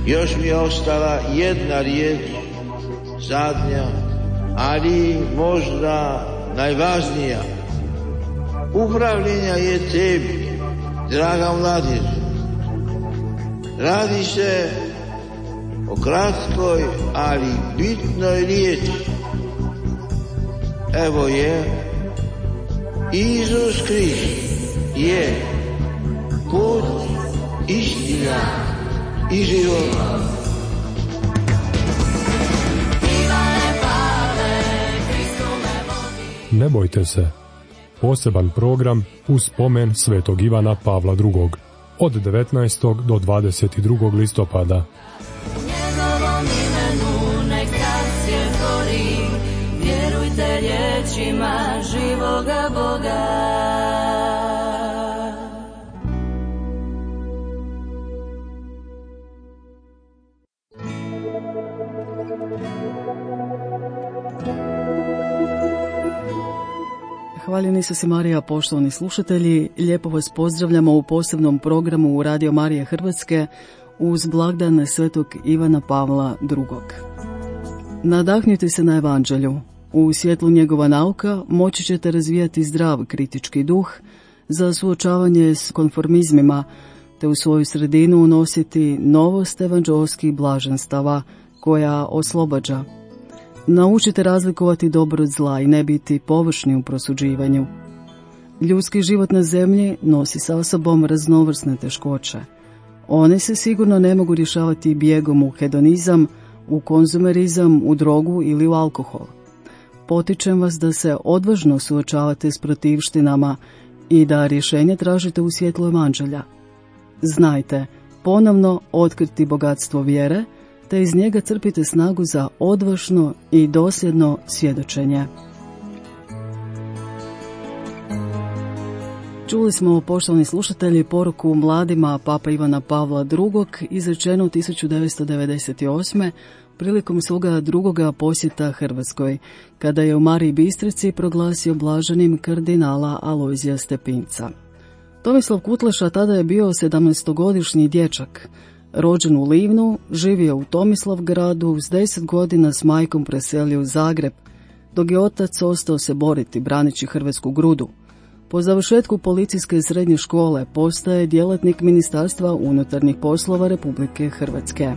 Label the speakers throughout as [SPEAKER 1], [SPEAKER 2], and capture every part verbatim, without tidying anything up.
[SPEAKER 1] Još mi je ostala jedna riječ, zadnja, ali možda najvažnija. Upravljenja je tebi, draga mladež. Radi se o kratkoj, ali bitnoj riječi. Evo je, Isus Krist je put, istina i život.
[SPEAKER 2] Ne bojte se. Poseban program uz spomen svetog Ivana Pavla drugog. Od devetnaestog do dvadeset drugog listopada.
[SPEAKER 3] Njegovom imenu nek stasje gori, vjerujte riječima živoga Boga.
[SPEAKER 4] Hvaljeni su si Marija, poštovani slušatelji, lijepo vas pozdravljamo u posebnom programu u Radio Marije Hrvatske uz blagdan svetog Ivana Pavla drugog. Nadahnite se na evanđelju. U svjetlu njegova nauka moći ćete razvijati zdrav kritički duh za suočavanje s konformizmima, te u svoju sredinu unositi novost evanđelskih blaženstava koja oslobađa. Naučite razlikovati dobro od zla i ne biti površni u prosuđivanju. Ljudski život na zemlji nosi sa sobom raznovrsne teškoće. One se sigurno ne mogu rješavati bijegom u hedonizam, u konzumerizam, u drogu ili u alkohol. Potičem vas da se odvažno suočavate s protivštinama i da rješenje tražite u svjetlu evanđelja. Znajte, ponovno otkriti bogatstvo vjere, te iz njega crpite snagu za odvažno i dosljedno svjedočenje. Čuli smo, poštovani slušatelji, poruku mladima Papa Ivana Pavla drugog izrečenu tisuću devetsto devedeset osme. prilikom svoga drugoga posjeta Hrvatskoj, kada je u Mariji Bistrici proglasio blaženim kardinala Alojzija Stepinca. Tomislav Kutleša tada je bio sedamnaestogodišnji dječak. Rođen u Livnu, živio u Tomislavgradu, s deset godina s majkom preselio u Zagreb, dok je otac ostao se boriti braneći hrvatsku grudu. Po završetku policijske srednje škole postaje djelatnik Ministarstva unutarnjih poslova Republike Hrvatske.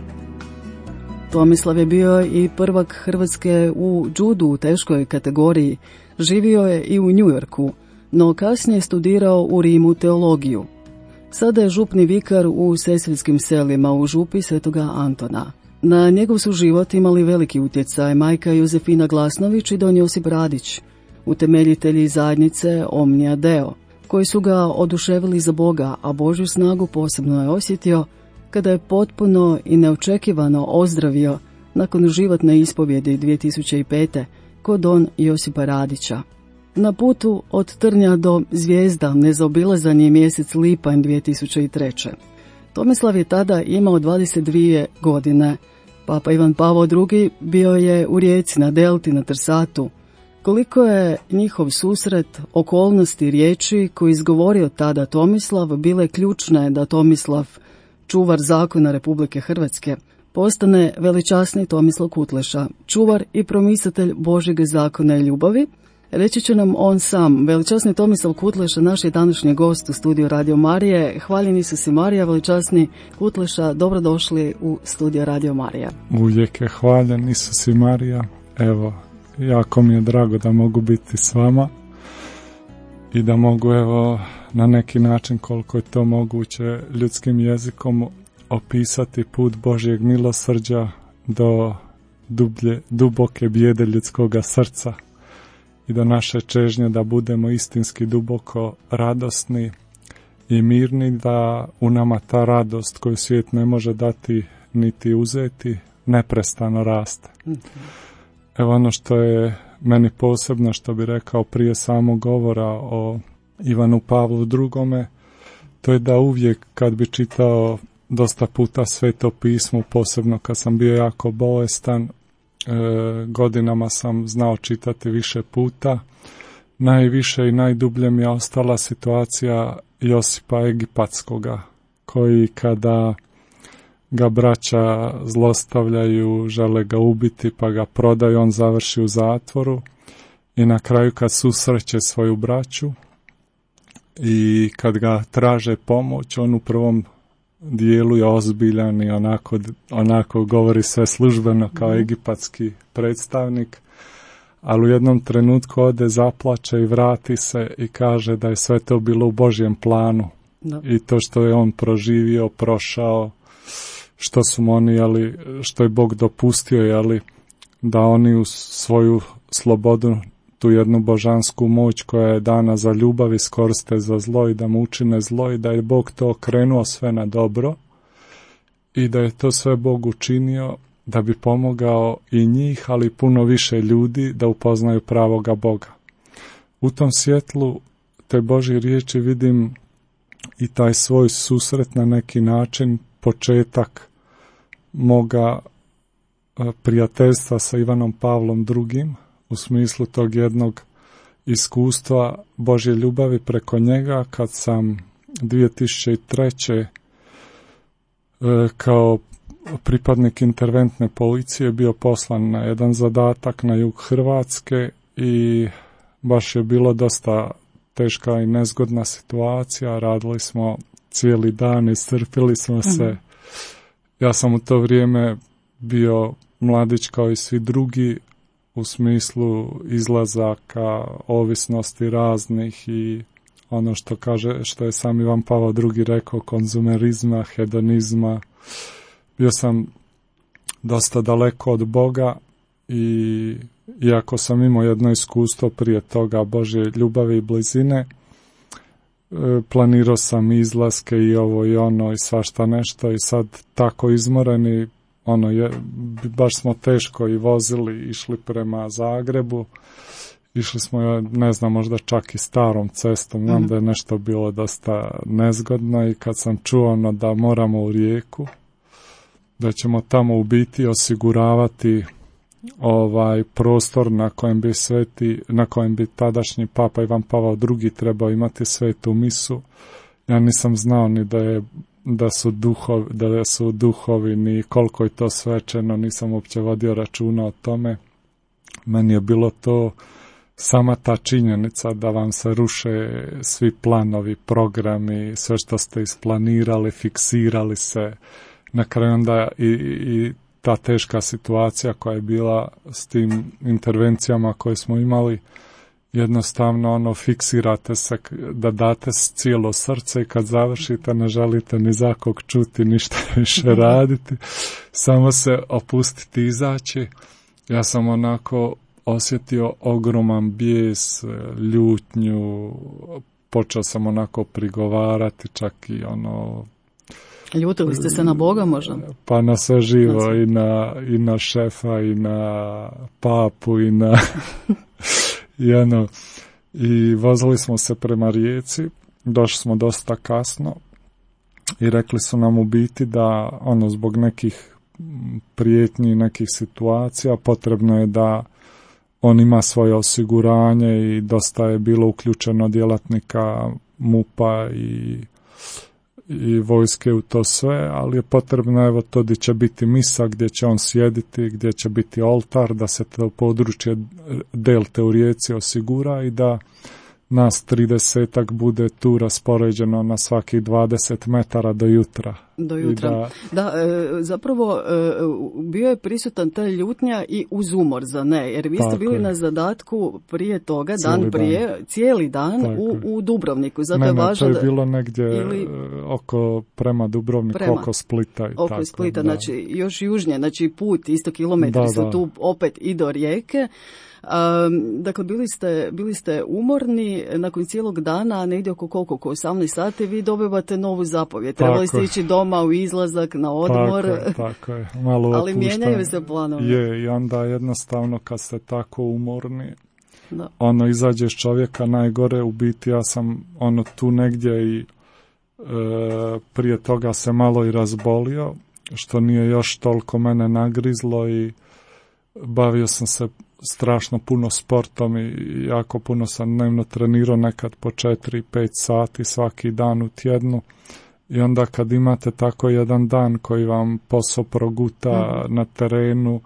[SPEAKER 4] Tomislav je bio i prvak Hrvatske u judu u teškoj kategoriji, živio je i u New Yorku, no kasnije je studirao u Rimu teologiju. Sada je župni vikar u Sesvetskim selima u župi Svetoga Antona. Na njegov su život imali veliki utjecaj majka Jozefina Glasnović i don Josip Radić, utemeljitelji zajednice Omnia Deo, koji su ga oduševili za Boga, a Božju snagu posebno je osjetio kada je potpuno i neočekivano ozdravio nakon životne ispovjedi dvije tisuće pete kod don Josipa Radića. Na putu od Trnja do Zvijezda nezaobilazan je mjesec lipanj dvije tisuće treće. Tomislav je tada imao dvadeset dvije godine. Papa Ivan Pavao drugi bio je u Rijeci, na Delti, na Trsatu. Koliko je njihov susret, okolnosti, riječi koje izgovorio tada Tomislav bile ključne da Tomislav, čuvar zakona Republike Hrvatske, postane veličasni Tomislav Kutleša, čuvar i promisatelj Božjeg zakona i ljubavi. Reći će nam on sam. Veličasni Tomislav Kutleša, naš je današnji gost u studiju Radio Marije. Hvaljeni su si Marija, veličasni Kutleša, dobrodošli u studiju Radio Marija.
[SPEAKER 5] Uvijek je hvaljen Isus i Marija. Evo, jako mi je drago da mogu biti s vama i da mogu, evo, na neki način, koliko je to moguće, ljudskim jezikom opisati put Božjeg milosrđa do dublje, duboke bijede ljudskoga srca i do naše čežnje da budemo istinski duboko radosni i mirni, da u nama ta radost koju svijet ne može dati niti uzeti neprestano raste. Evo ono što je meni posebno, što bi rekao prije samog govora o Ivanu Pavlu drugome, to je da uvijek kad bi čitao dosta puta Sveto pismo, posebno kad sam bio jako bolestan, e, godinama sam znao čitati više puta, najviše i najdublje mi je ostala situacija Josipa Egipatskoga, koji kada ga braća zlostavljaju, žele ga ubiti, pa ga prodaju, on završi u zatvoru i na kraju kad susreće svoju braću i kad ga traže pomoć, on u prvom dijelu je ozbiljan i onako, onako govori sve službeno kao egipatski predstavnik, ali u jednom trenutku ode, zaplače i vrati se i kaže da je sve to bilo u Božjem planu. No. I to što je on proživio, prošao, što su mu oni, ali, što je Bog dopustio, jeli, da oni u svoju slobodu, tu jednu božansku moć koja je dana za ljubav, iskoriste za zlo i da mu učine zlo i da je Bog to okrenuo sve na dobro i da je to sve Bog učinio da bi pomogao i njih, ali puno više ljudi da upoznaju pravoga Boga. U tom svjetlu te Božje riječi vidim i taj svoj susret na neki način, početak moga prijateljstva sa Ivanom Pavlom drugim, u smislu tog jednog iskustva Božje ljubavi preko njega, kad sam dvije tisuće treće kao pripadnik interventne policije bio poslan na jedan zadatak na jug Hrvatske i baš je bilo dosta teška i nezgodna situacija, radili smo cijeli dan, iscrpili smo se. Mm-hmm. Ja sam u to vrijeme bio mladić kao i svi drugi, u smislu izlazaka, ovisnosti raznih i ono što kaže, što je sam Ivan Pavao drugi rekao, konzumerizma, hedonizma. Bio sam dosta daleko od Boga i iako sam imao jedno iskustvo prije toga Božje ljubavi i blizine, planirao sam izlaske i ovo i ono i svašta nešto i sad tako izmoreni, ono je, baš smo teško i vozili, išli prema Zagrebu, išli smo, ne znam, možda čak i starom cestom, znam mm-hmm. da je nešto bilo dosta nezgodno i kad sam čuo ono da moramo u Rijeku, da ćemo tamo u biti osiguravati ovaj prostor na kojem bi sveti, na kojem bi tadašnji papa Ivan Pavao drugi trebao imati svetu misu. Ja nisam znao ni da je da su duhovi, da su duhovi ni koliko je to svečano, nisam uopće vodio računa o tome. Meni je bilo to sama ta činjenica da vam se ruše svi planovi, programi, sve što ste isplanirali, fiksirali se. Na kraju onda i, i ta teška situacija koja je bila s tim intervencijama koje smo imali, jednostavno ono fiksirate se da date cijelo srce i kad završite ne želite ni za kog čuti, ništa više raditi, samo se opustiti, izaći. Ja sam onako osjetio ogroman bijes, ljutnju, počeo sam onako prigovarati, čak i ono...
[SPEAKER 4] Ljutili ste se na Boga možda?
[SPEAKER 5] Pa na sve živo, znači. i, na, i na šefa, i na papu, i na... I, ono, i vozili smo se prema Rijeci, došli smo dosta kasno i rekli su nam u biti da ono zbog nekih prijetnji, nekih situacija potrebno je da on ima svoje osiguranje i dosta je bilo uključeno djelatnika MUP-a i, i vojske u to sve, ali je potrebno evo to gdje će biti misa, gdje će on sjediti, gdje će biti oltar, da se to područje delte u Rijeci osigura i da nas tridesetak bude tu raspoređeno na svakih dvadeset metara do jutra.
[SPEAKER 4] Do jutra. Da, da e, zapravo e, bio je prisutan ta ljutnja i uz umor, za ne, jer vi ste bili je. na zadatku prije toga, cijeli dan prije, dan. cijeli dan u, u Dubrovniku. Zato
[SPEAKER 5] ne,
[SPEAKER 4] je
[SPEAKER 5] ne,
[SPEAKER 4] važno
[SPEAKER 5] to je
[SPEAKER 4] da,
[SPEAKER 5] bilo negdje
[SPEAKER 4] ili,
[SPEAKER 5] oko prema Dubrovniku, prema, oko Splita. I
[SPEAKER 4] oko
[SPEAKER 5] tako,
[SPEAKER 4] Splita,
[SPEAKER 5] da.
[SPEAKER 4] Znači još južnije, znači put, isto kilometri da, su da. tu opet i do Rijeke. Um, dakle, bili ste, bili ste umorni, nakon cijelog dana, negdje oko koliko, oko osamnaest sati, vi dobivate novu zapovjed. Trebali ste ići doma u izlazak, na odmor.
[SPEAKER 5] Tako je, tako je. Malo
[SPEAKER 4] ali mijenjaju se planovi.
[SPEAKER 5] Je, i onda jednostavno kad ste tako umorni, da. ono izađeš čovjeka najgore, u biti ja sam ono tu negdje i e, prije toga se malo i razbolio, što nije još toliko mene nagrizlo i bavio sam se strašno puno sportom i jako puno sam dnevno trenirao, nekad po četiri pet sati svaki dan u tjednu I onda kad imate tako jedan dan koji vam posao proguta mm. na terenu,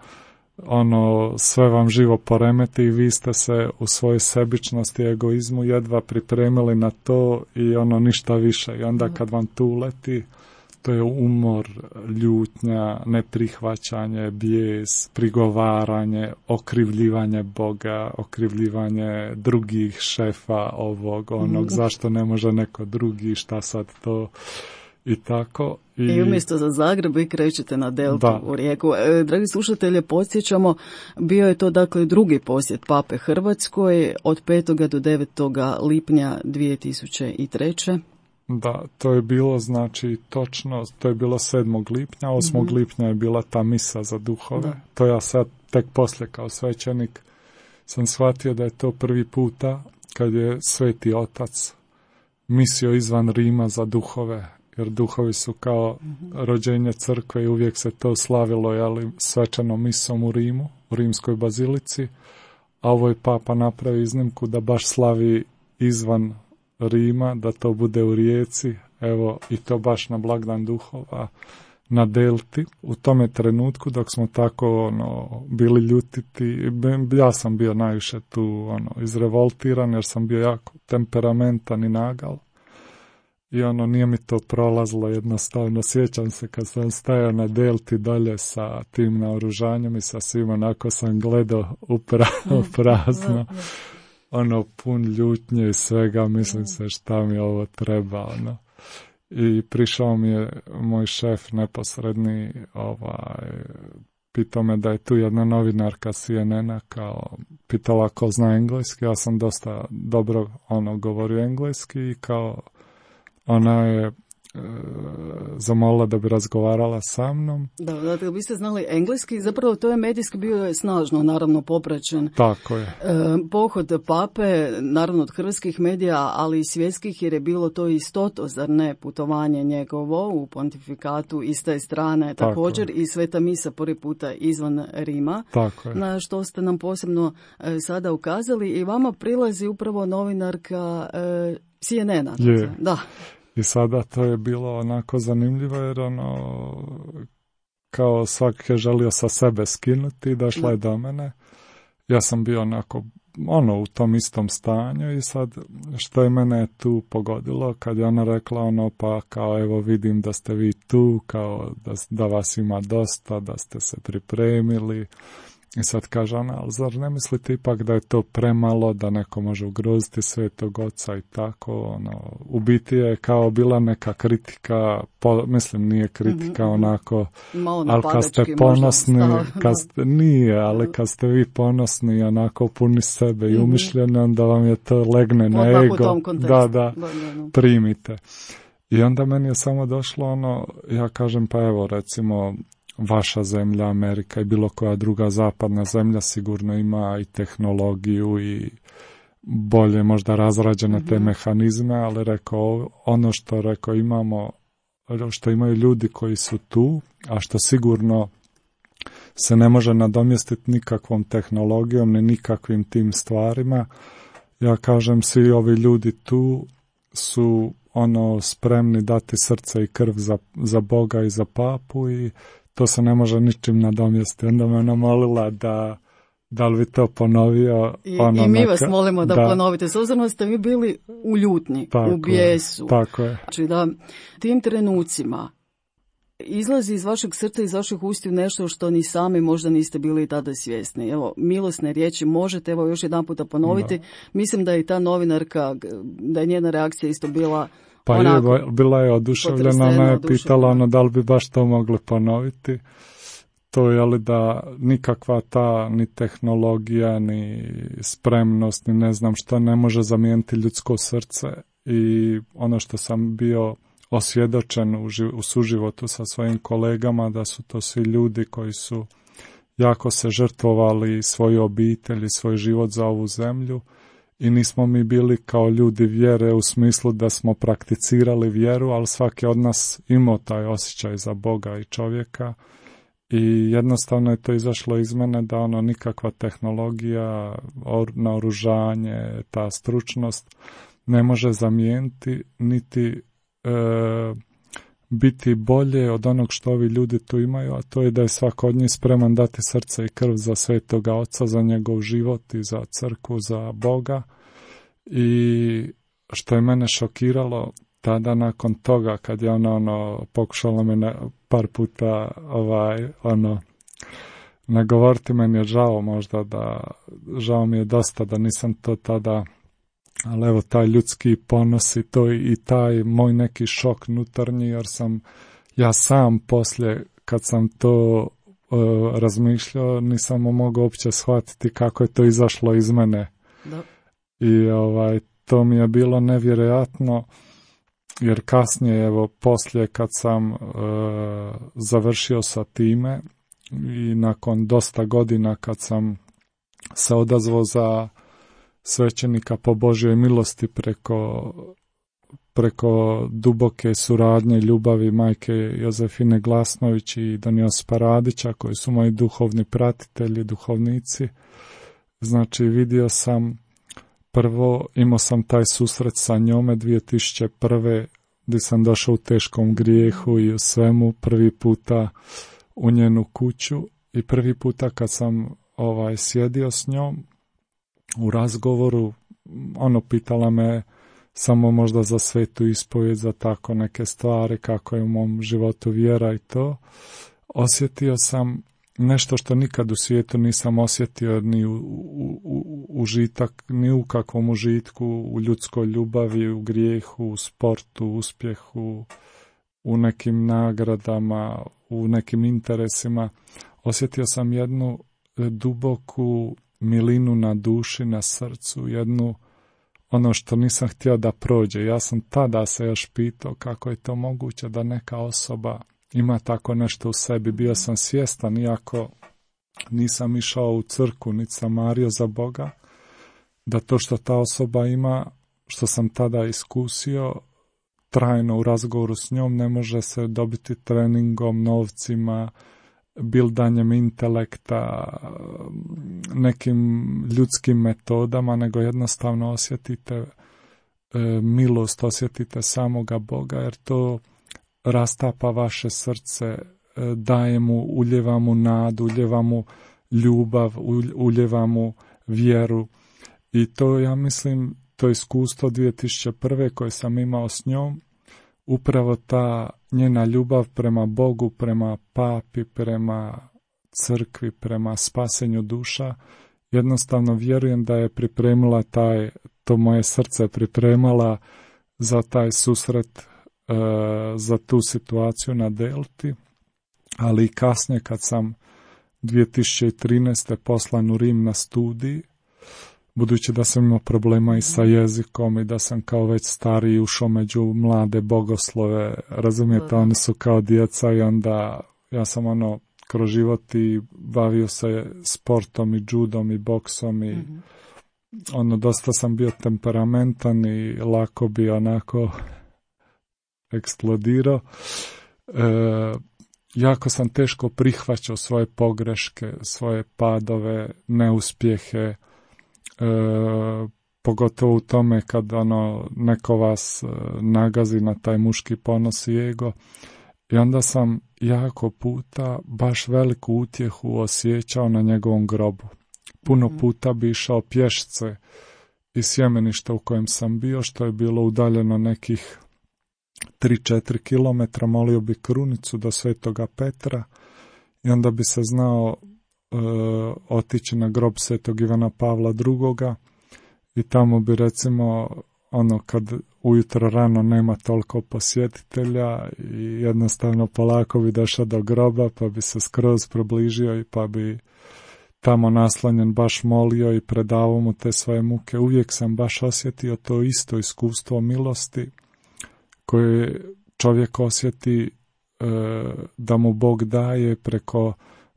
[SPEAKER 5] ono, sve vam živo poremeti i vi ste se u svojoj sebičnosti i egoizmu jedva pripremili na to i ono ništa više. I onda kad vam tu uleti, to je umor, ljutnja, neprihvaćanje, bijes, prigovaranje, okrivljivanje Boga, okrivljivanje drugih šefa ovog, onog, zašto ne može neko drugi, šta sad to i tako. I,
[SPEAKER 4] I umjesto za Zagreb vi krećete na Deltu
[SPEAKER 5] da.
[SPEAKER 4] u Rijeku. E, dragi slušatelje, podsjećamo, bio je to dakle drugi posjet Pape Hrvatskoj od petog do devetog lipnja dvije tisuće treće.
[SPEAKER 5] Da, to je bilo, znači, točno, to je bilo sedmog lipnja, osmog mm-hmm. lipnja je bila ta misa za duhove. Da. To ja sad tek poslije kao svećenik sam shvatio da je to prvi puta kad je Sveti Otac misio izvan Rima za duhove, jer duhovi su kao mm-hmm. rođenje crkve i uvijek se to slavilo, jeli, svečanom misom u Rimu, u Rimskoj bazilici, a ovo je Papa napravi iznimku da baš slavi izvan Rima, da to bude u Rijeci, evo, i to baš na blagdan duhova na Delti. U tome trenutku dok smo tako ono, bili ljutiti, ja sam bio najviše tu ono, izrevoltiran jer sam bio jako temperamentan i nagal. I ono, nije mi to prolazilo jednostavno. Sjećam se kad sam stajao na Delti dolje sa tim naoružanjem i sa svim, onako sam gledao u prazno. Ono, pun ljutnje i svega, mislim se šta mi ovo treba, ono. I prišao mi je moj šef neposredni, ovaj, pitao me da je tu jedna novinarka C N N-a, kao, pitala ko zna engleski, ja sam dosta dobro, ono, govorio engleski i kao, ona je e, zamolila da bi razgovarala sa mnom. Da,
[SPEAKER 4] dakle, vi ste znali engleski, zapravo to je medijski bio je snažno, naravno, popraćen.
[SPEAKER 5] Tako je.
[SPEAKER 4] E, pohod Pape, naravno od hrvatskih medija, ali i svjetskih, jer je bilo to istoto, zar ne, putovanje njegovo u pontifikatu iste strane, tako također je. I sveta misa prvi puta izvan Rima,
[SPEAKER 5] tako je.
[SPEAKER 4] Na što ste nam posebno e, sada ukazali i vama prilazi upravo novinarka e, C N N-a.
[SPEAKER 5] Je.
[SPEAKER 4] Da.
[SPEAKER 5] I sada to je bilo onako zanimljivo jer ono, kao svak je želio sa sebe skinuti, došla je do mene. Ja sam bio onako, ono, u tom istom stanju i sad što je mene tu pogodilo kad je ona rekla ono, pa kao evo vidim da ste vi tu, kao da, da vas ima dosta, da ste se pripremili. I sad kaže ona, ali zar ne mislite ipak da je to premalo, da neko može ugroziti Svetog Oca i tako, ono, u biti je kao bila neka kritika, po, mislim nije kritika mm-hmm. onako, ali kad ste ponosni, kad ste, nije, ali kad ste vi ponosni onako puni sebe mm-hmm. i umišljeni, onda vam je to legne na ego, da, da, primite. I onda meni je samo došlo ono, ja kažem pa evo recimo, vaša zemlja, Amerika i bilo koja druga zapadna zemlja sigurno ima i tehnologiju i bolje možda razrađene mm-hmm. te mehanizme, ali rekao, ono što rekao imamo, što imaju ljudi koji su tu, a što sigurno se ne može nadomjestiti nikakvom tehnologijom, ni nikakvim tim stvarima. Ja kažem, svi ovi ljudi tu su ono spremni dati srce i krv za, za Boga i za Papu i to se ne može ničim nadomjestiti. Onda me ona molila da, da li bi to ponovio.
[SPEAKER 4] I,
[SPEAKER 5] ono
[SPEAKER 4] i mi
[SPEAKER 5] neka,
[SPEAKER 4] vas molimo da, da ponovite. S obzirom da ste vi bili u ljutnji, tako u bijesu.
[SPEAKER 5] Je, tako je.
[SPEAKER 4] Znači da tim trenucima izlazi iz vašeg srca, iz vaših ustiju nešto što ni sami možda niste bili tada svjesni. Evo, milosne riječi možete, evo još jedan puta ponoviti. Da. Mislim da je ta novinarka, da je njena reakcija isto bila
[SPEAKER 5] Pa onako, je, bila je oduševljena, ona je pitala ono, da li bi baš to mogli ponoviti. To je li da nikakva ta ni tehnologija, ni spremnost, ni ne znam šta ne može zamijeniti ljudsko srce. I ono što sam bio osvjedočen u, živ, u suživotu sa svojim kolegama, da su to svi ljudi koji su jako se žrtvovali svoju obitelj i svoj život za ovu zemlju. I nismo mi bili kao ljudi vjere u smislu da smo prakticirali vjeru, ali svaki od nas imao taj osjećaj za Boga i čovjeka i jednostavno je to izašlo iz mene da ono nikakva tehnologija, or, naoružanje, ta stručnost ne može zamijeniti niti e, biti bolje od onog što ovi ljudi tu imaju, a to je da je svako od njih spreman dati srce i krv za Svetoga Oca, za njegov život i za crkvu, za Boga. I što je mene šokiralo, tada nakon toga, kad je ona ono, pokušala me na, par puta ovaj, ono, nagovoriti, meni je žao možda da, žao mi je dosta da nisam to tada, ali evo taj ljudski ponos i to i taj moj neki šok nutarnji, jer sam ja sam poslije kad sam to uh, razmišljao, nisam mogao uopće shvatiti kako je to izašlo iz mene. Da. I ovaj, to mi je bilo nevjerojatno, jer kasnije, evo, poslije kad sam uh, završio sa time i nakon dosta godina kad sam se odazvao za svećenika po Božjoj milosti preko, preko duboke suradnje ljubavi majke Jozefine Glasnović i Don Josipa Radića, koji su moji duhovni pratitelji, duhovnici. Znači, vidio sam, prvo imao sam taj susret sa njome dvije tisuće prve gdje sam došao u teškom grijehu i u svemu, prvi puta u njenu kuću i prvi puta kad sam ovaj sjedio s njom u razgovoru, ono pitala me samo možda za svetu ispovijed, za tako neke stvari, kako je u mom životu vjera i to. Osjetio sam nešto što nikad u svijetu nisam osjetio, ni u, u, u, užitak, ni u kakvom užitku, u ljudskoj ljubavi, u grijehu, u sportu, u uspjehu, u nekim nagradama, u nekim interesima. Osjetio sam jednu duboku milinu na duši, na srcu, jednu ono što nisam htio da prođe. Ja sam tada se još pitao kako je to moguće da neka osoba ima tako nešto u sebi. Bio sam svjestan, iako nisam išao u crkvu, niti sam mario za Boga, da to što ta osoba ima, što sam tada iskusio, trajno u razgovoru s njom ne može se dobiti treningom, novcima, bildanjem intelekta, nekim ljudskim metodama, nego jednostavno osjetite e, milost, osjetite samoga Boga, jer to rastapa vaše srce, e, daje mu, uljeva mu nadu, uljeva mu ljubav, uljeva mu vjeru. I to, ja mislim, to iskustvo dvije tisuće prve koje sam imao s njom, upravo ta njena ljubav prema Bogu, prema papi, prema crkvi, prema spasenju duša, jednostavno vjerujem da je pripremila taj, to moje srce pripremala za taj susret, e, za tu situaciju na Delti, ali i kasnije kad sam dvije tisuće trinaeste poslan u Rim na studij, budući da sam imao problema i sa jezikom i da sam kao već stariji ušao među mlade bogoslove, razumijete, oni su kao djeca i onda ja sam ono kroz život i bavio se sportom i judom i boksom i mm-hmm. ono dosta sam bio temperamentan i lako bi onako eksplodirao. E, jako sam teško prihvaćao svoje pogreške, svoje padove, neuspjehe, E, pogotovo u tome kad ono, neko vas e, nagazi na taj muški ponos i ego. I onda sam jako puta baš veliku utjehu osjećao na njegovom grobu. Puno mm-hmm. puta bi išao pješce iz sjemeništa u kojem sam bio, što je bilo udaljeno nekih tri do četiri kilometra, molio bi krunicu do Svetoga Petra i onda bi se znao Uh, otići na grob Svetog Ivana Pavla drugoga i tamo bi recimo ono kad ujutro rano nema toliko posjetitelja i jednostavno polako bi došao do groba pa bi se skroz približio i pa bi tamo naslanjen baš molio i predavao mu te svoje muke. Uvijek sam baš osjetio to isto iskustvo milosti koje čovjek osjeti uh, da mu Bog daje preko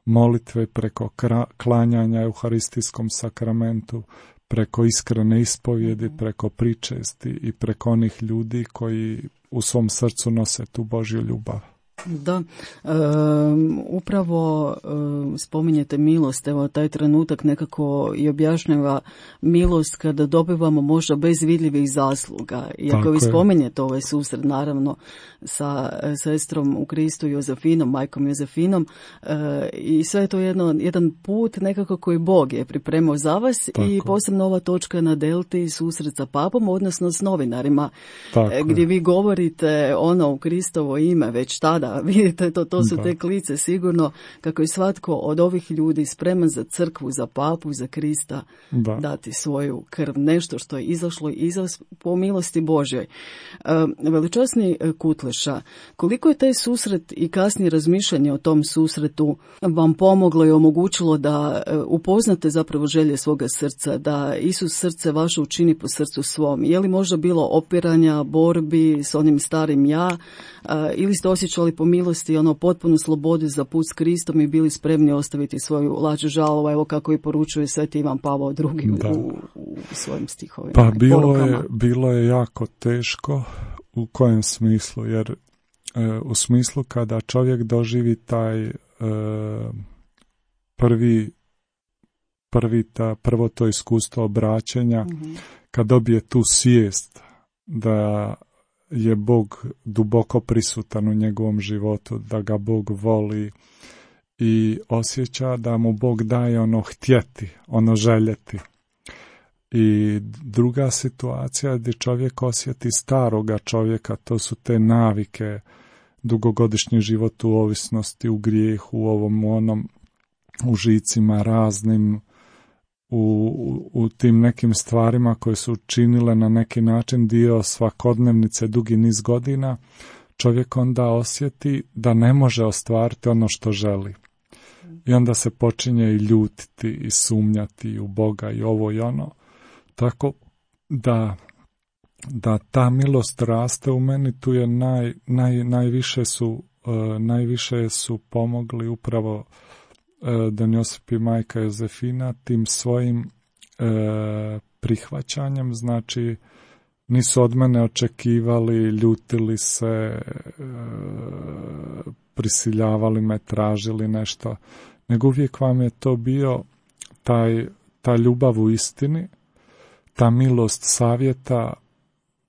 [SPEAKER 5] molitve, preko klanjanja Euharistijskom sakramentu, preko iskrene ispovjedi, preko pričesti i preko onih ljudi koji u svom srcu nose tu Božju ljubav.
[SPEAKER 4] Da, e, upravo e, spominjete milost, evo taj trenutak nekako i objašnjava milost kada dobivamo možda bez vidljivih zasluga. I ako vi spominjete ovaj susret naravno sa sestrom u Kristu Jozefinom, majkom Jozefinom, e, i sve je to jedno, jedan put nekako koji Bog je pripremao za vas. Tako. I posebno ova točka na Delti, susret sa papom, odnosno s novinarima, e, gdje vi govorite ono u Kristovo ime već tada. Vidite, to, to su da. Te klice sigurno kako je svatko od ovih ljudi spreman za crkvu, za papu, za Krista da. Dati svoju krv. Nešto što je izašlo iz po milosti Božjoj. E, veličasni Kutleša, koliko je taj susret i kasnije razmišljanje o tom susretu vam pomoglo i omogućilo da upoznate zapravo želje svoga srca, da Isus srce vaše učini po srcu svom? Je li možda bilo opiranja, borbi s onim starim ja, e, ili ste osjećali po milosti ono potpunu slobodu za put s Kristom i bili spremni ostaviti svoju lađu žalovu, evo kako i poručuje Sveti Ivan Pavao drugi u, u svojim stihovima?
[SPEAKER 5] Pa bilo je, bilo je jako teško. U kojem smislu? Jer e, u smislu kada čovjek doživi taj e, prvi prvi ta, prvo to iskustvo obraćenja, mm-hmm. kad dobije tu svijest da je Bog duboko prisutan u njegovom životu, da ga Bog voli i osjeća da mu Bog daje ono htjeti, ono željeti. I druga situacija gdje čovjek osjeti staroga čovjeka, to su te navike, dugogodišnji život u ovisnosti, u grijehu, u ovom onom, u žicima raznim, u, u, u tim nekim stvarima koje su činile na neki način dio svakodnevnice dugi niz godina, čovjek onda osjeti da ne može ostvariti ono što želi. I onda se počinje i ljutiti i sumnjati u Boga i ovo i ono. Tako da, da ta milost raste u meni, tu je naj, naj, najviše, su, uh, najviše su pomogli upravo uh, Don Josip i majka Jozefina tim svojim uh, prihvaćanjem, znači nisu od mene očekivali, ljutili se, uh, prisiljavali me, tražili nešto, nego uvijek vam je to bio taj, ta ljubav u istini, ta milost savjeta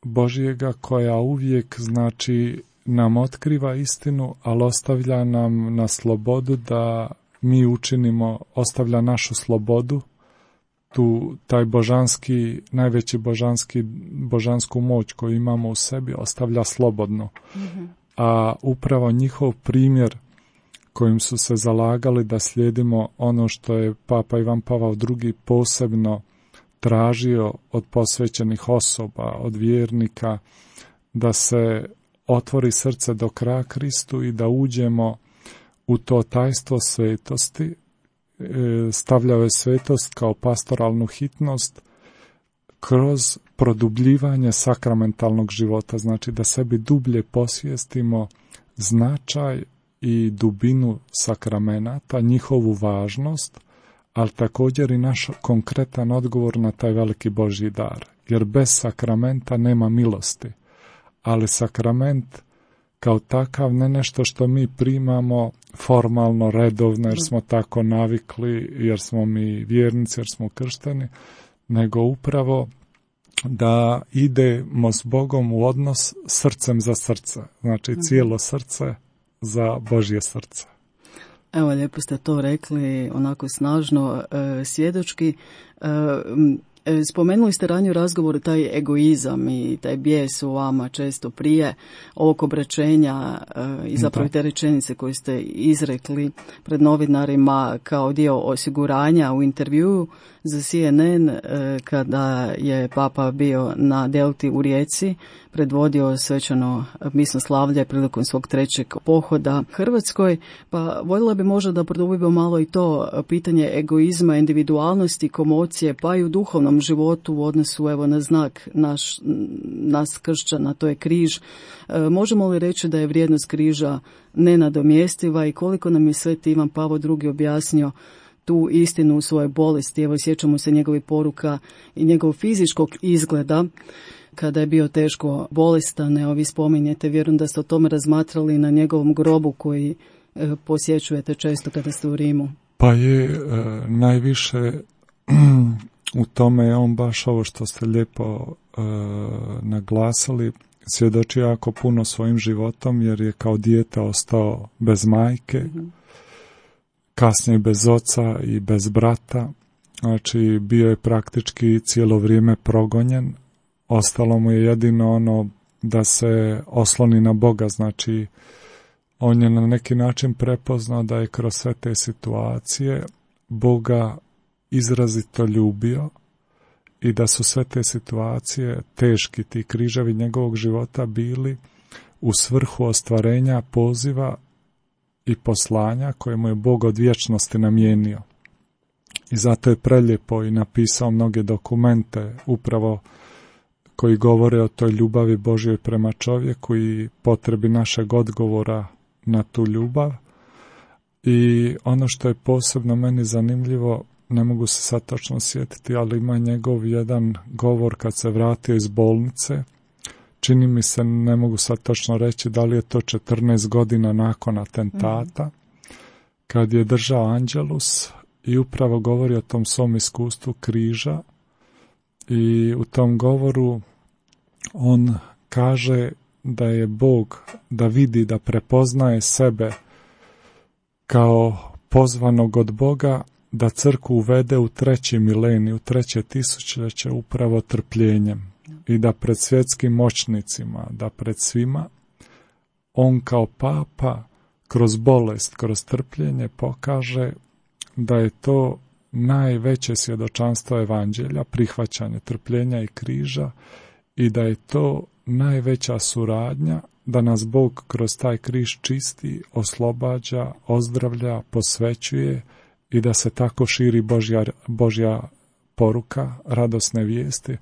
[SPEAKER 5] Božjega koja uvijek znači nam otkriva istinu, ali ostavlja nam na slobodu da mi učinimo, ostavlja našu slobodu, tu taj božanski, najveći božanski, božansku moć koju imamo u sebi ostavlja slobodno. Mm-hmm. A upravo njihov primjer kojim su se zalagali da slijedimo ono što je Papa Ivan Pavao drugi posebno tražio od posvećenih osoba, od vjernika, da se otvori srce do kraja Kristu i da uđemo u to tajstvo svetosti. Stavljao je svetost kao pastoralnu hitnost kroz produbljivanje sakramentalnog života, znači da sebi dublje posvijestimo značaj i dubinu sakramenata, njihovu važnost, ali također i naš konkretan odgovor na taj veliki Božji dar. Jer bez sakramenta nema milosti. Ali sakrament kao takav ne nešto što mi primamo formalno, redovno, jer smo tako navikli, jer smo mi vjernici, jer smo kršteni, nego upravo da idemo s Bogom u odnos srcem za srce. Znači cijelo srce za Božje srce.
[SPEAKER 4] Evo, lijepo ste to rekli, onako snažno, e, svjedočki. E, spomenuli ste ranije u razgovoru taj egoizam i taj bijes u vama često prije ovog obraćenja e, i zapravo te rečenice koje ste izrekli pred novinarima kao dio osiguranja u intervjuu za C N N e, kada je Papa bio na Delti u Rijeci, predvodio svečano misno slavlje prilikom svog trećeg pohoda Hrvatskoj. Pa voljela bi možda da produbimo malo i to pitanje egoizma, individualnosti, komocije, pa i u duhovnom životu u odnosu evo na znak naš, nas kršćana, to je križ. E, možemo li reći da je vrijednost križa nenadomjestiva i koliko nam je Sveti Ivan Pavao drugi objasnio tu istinu u svojoj bolesti? Evo, sjećamo se njegovih poruka i njegovog fizičkog izgleda. kada je bio teško bolestan, evo vi spominjete, vjerujem da ste o tome razmatrali na njegovom grobu koji e, posjećujete često kada ste u Rimu.
[SPEAKER 5] Pa je e, najviše u tome je on baš ovo što ste lijepo e, naglasili, svjedoči jako puno svojim životom jer je kao dijete ostao bez majke, mm-hmm. kasnije bez oca i bez brata, znači bio je praktički cijelo vrijeme progonjen, ostalo mu je jedino ono da se osloni na Boga, znači on je na neki način prepoznao da je kroz sve te situacije Boga izrazito ljubio i da su sve te situacije teški, ti križevi njegovog života bili u svrhu ostvarenja poziva i poslanja koje mu je Bog od vječnosti namijenio. I zato je prelijepo i napisao mnoge dokumente upravo koji govore o toj ljubavi Božjoj prema čovjeku i potrebi našeg odgovora na tu ljubav. I ono što je posebno meni zanimljivo, ne mogu se sad točno sjetiti, ali ima njegov jedan govor kad se vratio iz bolnice. Čini mi se, ne mogu sad točno reći da li je to četrnaest godina nakon atentata, mm-hmm. kad je držao Angelus i upravo govori o tom svom iskustvu križa. I u tom govoru on kaže da je Bog, da vidi, da prepoznaje sebe kao pozvanog od Boga da crkvu uvede u treći milenij, u treće tisućljeće upravo trpljenjem i da pred svjetskim moćnicima, da pred svima on kao papa kroz bolest, kroz trpljenje pokaže da je to najveće svjedočanstvo evanđelja, prihvaćanje trpljenja i križa i da je to najveća suradnja, da nas Bog kroz taj križ čisti, oslobađa, ozdravlja, posvećuje i da se tako širi Božja, Božja poruka, radosne vijesti,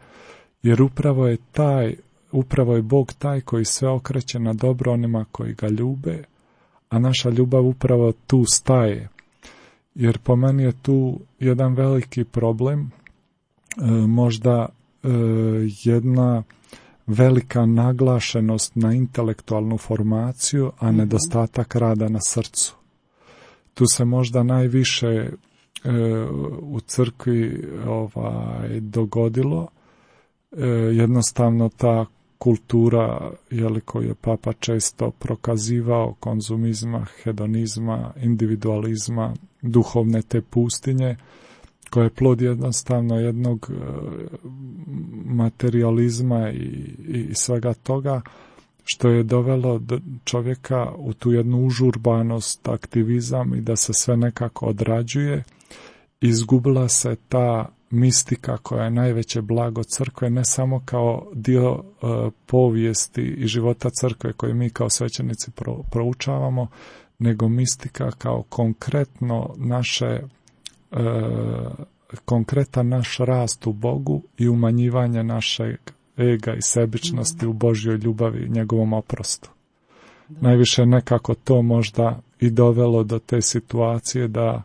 [SPEAKER 5] jer upravo je taj, upravo je Bog taj koji sve okreće na dobro onima koji ga ljube, a naša ljubav upravo tu staje. Jer po meni je tu jedan veliki problem, e, možda e, jedna velika naglašenost na intelektualnu formaciju, a nedostatak rada na srcu. Tu se možda najviše e, u crkvi ovaj, dogodilo, e, jednostavno ta kultura, jeli, koju je Papa često prokazivao, konzumizma, hedonizma, individualizma, duhovne te pustinje, koja je plod jednostavno jednog e, materializma i, i svega toga, što je dovelo čovjeka u tu jednu užurbanost, aktivizam i da se sve nekako odrađuje. Izgubila se ta mistika koja je najveće blago crkve, ne samo kao dio uh, povijesti i života crkve koje mi kao svećenici pro, proučavamo, nego mistika kao konkretno naše uh, konkretan naš rast u Bogu i umanjivanje našeg ega i sebičnosti u Božjoj ljubavi i njegovom oprostu. Da. Najviše nekako to možda i dovelo do te situacije da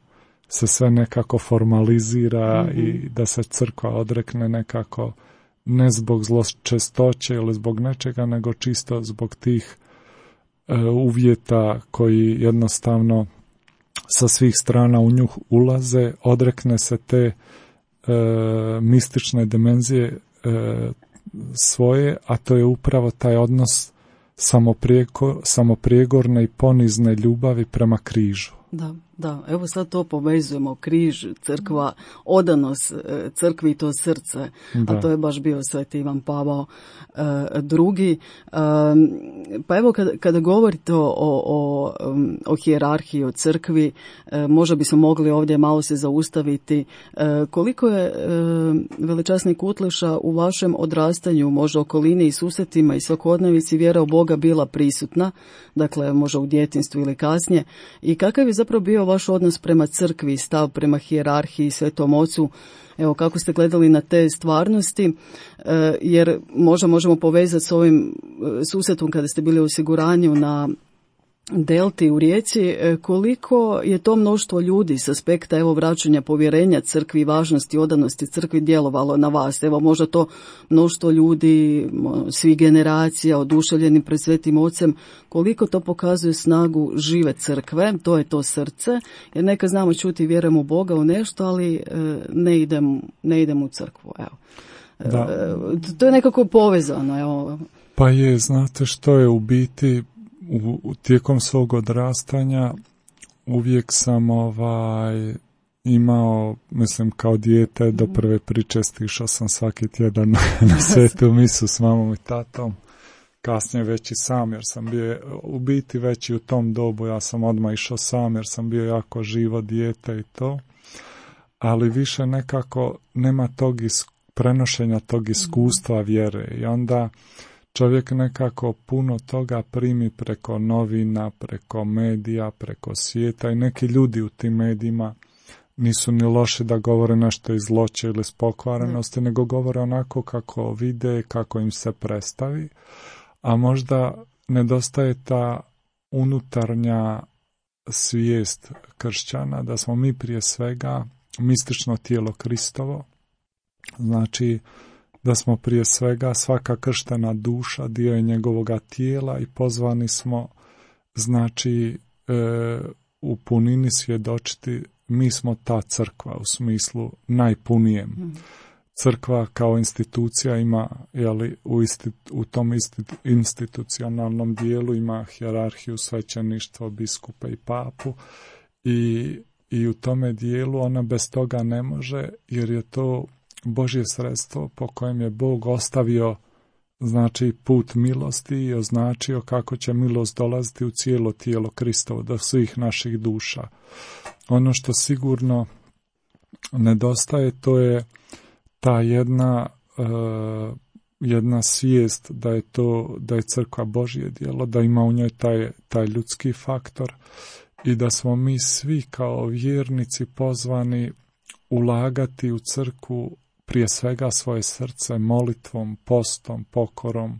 [SPEAKER 5] se sve nekako formalizira mm-hmm. i da se crkva odrekne nekako ne zbog zločestoće ili zbog nečega, nego čisto zbog tih e, uvjeta koji jednostavno sa svih strana u nju ulaze, odrekne se te e, mistične dimenzije e, svoje, a to je upravo taj odnos samoprijeko, samoprijegorne i ponizne ljubavi prema križu.
[SPEAKER 4] Da, da, evo sad to povezujemo, križ, crkva, odanost crkvi i to srce, da. A to je baš bio Sveti Ivan Pavao e, drugi. E, pa evo kada, kada govorite o, o, o hijerarhiji, o crkvi, e, možda bismo mogli ovdje malo se zaustaviti. E, koliko je e, veličasni Kutleša u vašem odrastanju, možda okolini i susretima i svakodnevici vjera u Boga bila prisutna, dakle možda u djetinjstvu ili kasnije, i kakav je zapravo bio vaš odnos prema crkvi, stav prema hijerarhiji, Svetom Ocu, evo kako ste gledali na te stvarnosti, e, jer možda možemo povezati s ovim susretom kada ste bili u osiguranju na Delti u Rijeci, koliko je to mnoštvo ljudi s aspekta evo vraćanja povjerenja crkvi, važnosti, odanosti crkvi djelovalo na vas? Evo možda to mnoštvo ljudi, svih generacija, oduševljeni pred Svetim Ocem, koliko to pokazuje snagu žive crkve, to je to srce, jer neka znamo čuti vjerujemo u Boga, u nešto, ali ne idem, ne idem u crkvu. Evo.
[SPEAKER 5] Da.
[SPEAKER 4] To je nekako povezano. Evo.
[SPEAKER 5] Pa je, znate što je u biti, u, tijekom svog odrastanja uvijek sam ovaj imao, mislim kao dijete do prve pričesti išao sam svaki tjedan na svetu misu s mamom i tatom, kasnije već i sam jer sam bio u biti već i u tom dobu, ja sam odmah išao sam jer sam bio jako živo dijete i to, ali više nekako nema tog is, prenošenja tog iskustva vjere i onda čovjek nekako puno toga primi preko novina, preko medija, preko svijeta i neki ljudi u tim medijima nisu ni loši da govore nešto iz zloće ili iz pokvarenosti, nego govore onako kako vide, kako im se predstavi, a možda nedostaje ta unutarnja svijest kršćana da smo mi prije svega mistično tijelo Kristovo, znači da smo prije svega svaka krštena duša dio je njegovoga tijela i pozvani smo znači e, u punini svjedočiti mi smo ta crkva u smislu najpunijem. Mm. Crkva kao institucija ima, jeli, u, isti, u tom isti, institucionalnom dijelu ima hijerarhiju, svećeništvo, biskupe i papu i, i u tome dijelu ona bez toga ne može jer je to Božje sredstvo po kojem je Bog ostavio znači put milosti i označio kako će milost dolaziti u cijelo tijelo Kristovo do svih naših duša. Ono što sigurno nedostaje to je ta jedna uh, jedna svijest da je to da je crkva Božje djelo, da ima u njoj taj, taj ljudski faktor i da smo mi svi kao vjernici pozvani ulagati u crkvu prije svega svoje srce molitvom, postom, pokorom,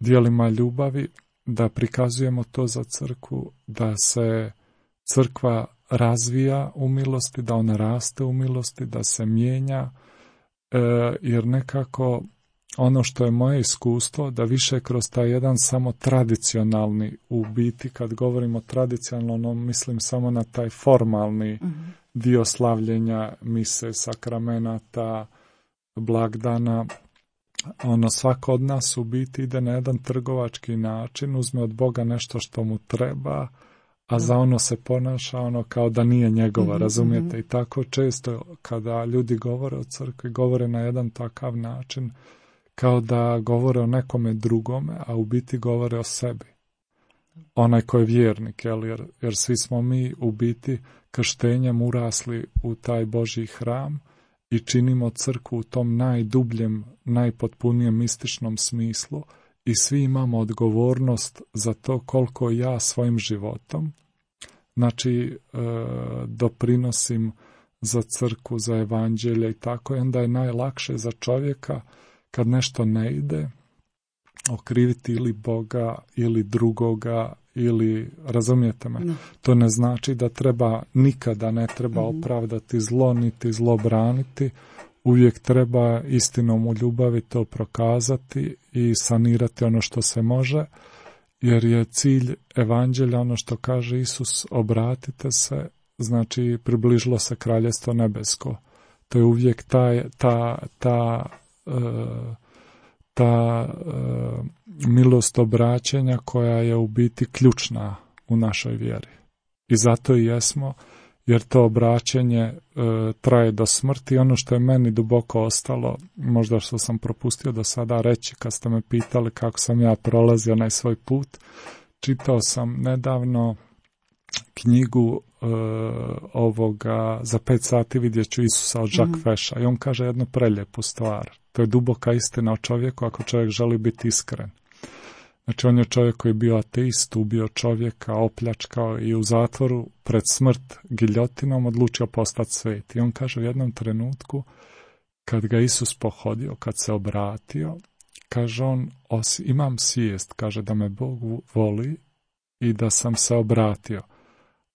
[SPEAKER 5] djelima ljubavi, da prikazujemo to za crkvu, da se crkva razvija u milosti, da ona raste u milosti, da se mijenja, e, jer nekako ono što je moje iskustvo, da više kroz taj jedan samo tradicionalni, u biti kad govorimo tradicionalno, mislim samo na taj formalni mm-hmm. dio slavljenja mise, sakramenata, blagdana, ono svako od nas u biti ide na jedan trgovački način, uzme od Boga nešto što mu treba, a za ono se ponaša ono kao da nije njegova, mm-hmm. razumijete? I tako često kada ljudi govore o crkvi, govore na jedan takav način, kao da govore o nekome drugome, a u biti govore o sebi. Onaj ko je vjernik, jel? Jer, jer svi smo mi u biti krštenjem urasli u taj Božji hram i činimo crkvu u tom najdubljem, najpotpunijem mističnom smislu i svi imamo odgovornost za to koliko ja svojim životom, znači e, doprinosim za crkvu, za evanđelje i tako, i onda je najlakše za čovjeka kad nešto ne ide okriviti ili Boga ili drugoga ili, razumijete me, no. To ne znači da treba, nikada ne treba mm-hmm. opravdati zlo, niti zlo braniti, uvijek treba istinom u ljubavi to prokazati i sanirati ono što se može, jer je cilj evanđelja ono što kaže Isus, obratite se, znači približilo se kraljestvo nebesko. To je uvijek taj, ta, ta uh, ta uh, milost obraćanja koja je u biti ključna u našoj vjeri. I zato i jesmo, jer to obraćanje uh, traje do smrti. Ono što je meni duboko ostalo, možda što sam propustio do sada reći kad ste me pitali kako sam ja prolazio na svoj put, čitao sam nedavno knjigu uh, ovoga za pet sati vidjet ću Isusa od Jacques mm-hmm. Feša i on kaže jednu prelijepu stvar. To je duboka istina o čovjeku ako čovjek želi biti iskren. Znači on je čovjek koji je bio ateist, ubio čovjeka, opljačkao i u zatvoru pred smrt giljotinom odlučio postati svet. I on kaže u jednom trenutku kad ga Isus pohodio, kad se obratio, kaže on, os, imam svijest, kaže da me Bog voli i da sam se obratio.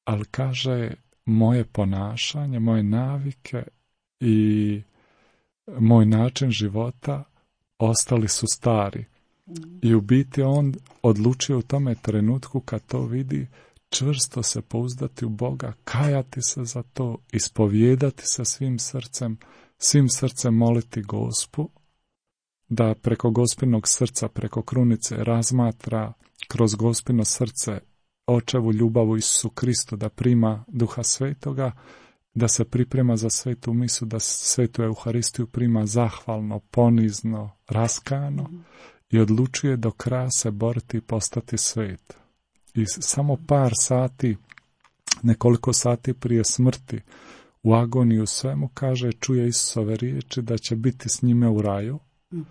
[SPEAKER 5] Ali kaže, moje ponašanje, moje navike i moj način života ostali su stari. I u biti on odlučio u tome trenutku kad to vidi čvrsto se pouzdati u Boga, kajati se za to, ispovijedati se svim srcem, svim srcem moliti Gospu, da preko Gospinog srca, preko krunice razmatra kroz Gospino srce Očevu ljubavu Isusu Kristu, da prima Duha Svetoga, da se priprema za svetu misu, da svetu Euharistiju prima zahvalno, ponizno, raskano mm. i odlučuje do kraja se boriti i postati svet. I samo par sati, nekoliko sati prije smrti, u agoniju svemu, kaže, čuje Isusove riječi da će biti s njime u raju. Mm.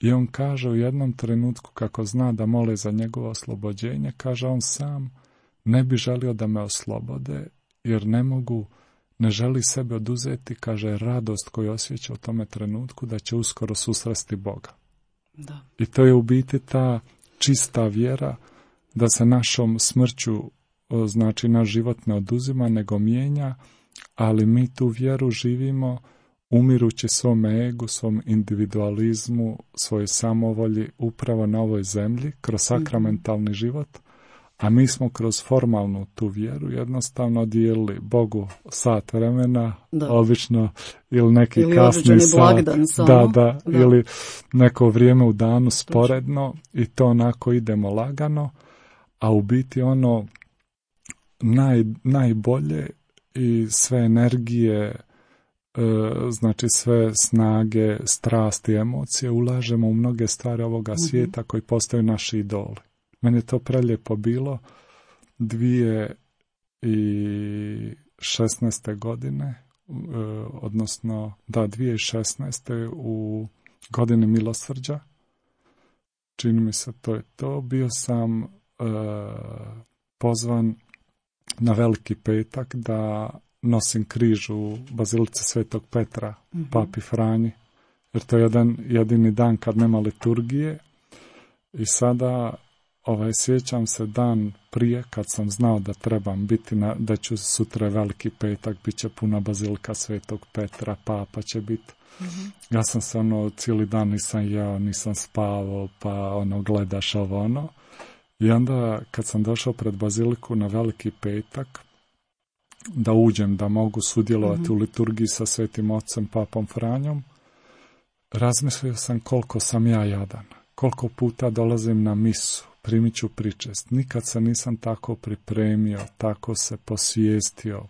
[SPEAKER 5] I on kaže u jednom trenutku, kako zna da mole za njegovo oslobođenje, kaže, on sam ne bi želio da me oslobode, jer ne mogu, ne želi sebe oduzeti, kaže, radost koju osjeća u tome trenutku da će uskoro susresti Boga.
[SPEAKER 4] Da.
[SPEAKER 5] I to je u biti ta čista vjera da se našom smrću, znači naš život ne oduzima, nego mijenja, ali mi tu vjeru živimo umirući svom egu, svom individualizmu, svojoj samovolji upravo na ovoj zemlji, kroz sakramentalni život, a mi smo kroz formalnu tu vjeru jednostavno dijelili Bogu sat vremena, da. Obično, ili neki ili kasni sat, da, da, da, ili neko vrijeme u danu sporedno i to onako idemo lagano, a u biti ono naj, najbolje i sve energije, znači sve snage, strasti, emocije ulažemo u mnoge stvari ovoga mm-hmm. svijeta koji postaju naši idoli. Meni je to prelijepo bilo dvije i šesnaeste godine, odnosno da dvije i šesnaeste u godini milosrđa, čini mi se to je to, bio sam uh, pozvan na Veliki petak da nosim križ u Bazilici Svetog Petra, mm-hmm. Papi Franji, jer to je jedan jedini dan kad nema liturgije. I sada ovaj, sjećam se dan prije kad sam znao da trebam biti, na, da ću sutra Veliki petak, bit će puna Bazilika Svetog Petra, Papa će biti. Mm-hmm. Ja sam se ono, cijeli dan nisam jeo, nisam spavao, pa ono, gledaš ovo ono. I onda kad sam došao pred Baziliku na Veliki petak, da uđem, da mogu sudjelovati mm-hmm. u liturgiji sa Svetim Ocem, Papom Franjom, razmislio sam koliko sam ja jadan, koliko puta dolazim na misu, primit ću pričest. Nikad se nisam tako pripremio, tako se posvijestio.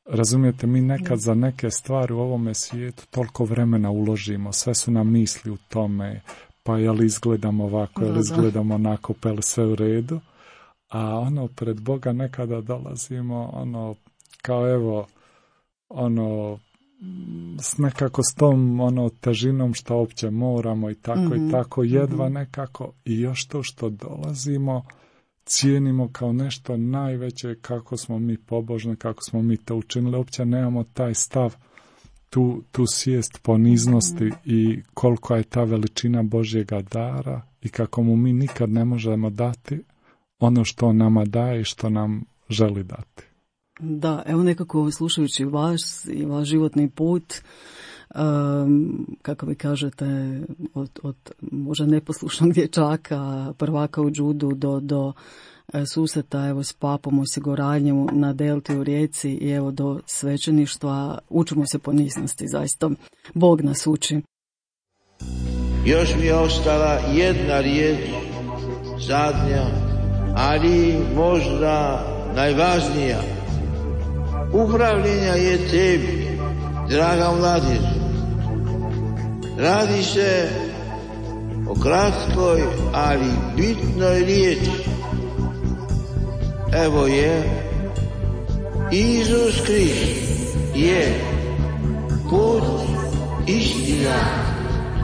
[SPEAKER 5] Razumijete, mi nekad za neke stvari u ovome svijetu toliko vremena uložimo, sve su nam misli u tome, pa jel izgledamo ovako, jel izgledamo onako, pa jel sve u redu. A ono, pred Boga nekada dolazimo, ono, kao evo, ono, s nekako s tom, ono, težinom što opće moramo i tako mm-hmm. i tako, jedva mm-hmm. nekako, i još to što dolazimo, cijenimo kao nešto najveće, kako smo mi pobožni, kako smo mi to učinili, uopće nemamo taj stav, tu, tu svijest poniznosti mm-hmm. i koliko je ta veličina Božjega dara i kako mu mi nikad ne možemo dati ono što nama daje i što nam želi dati.
[SPEAKER 4] Da, evo nekako slušajući vas i vaš životni put, um, kako vi kažete, od, od možda neposlušnog dječaka, prvaka u džudu do, do susreta evo s papom, osiguranjem na Delti u Rijeci i evo do svećeništva, učimo se poniznosti, zaista Bog nas uči.
[SPEAKER 1] Još mi je ostala jedna riječ, zadnja, ali možda najvažnija. Upravljenja je tebi, draga mladež. Radi se o kratkoj, ali bitnoj riječi. Evo je, Isus Krist je put, istina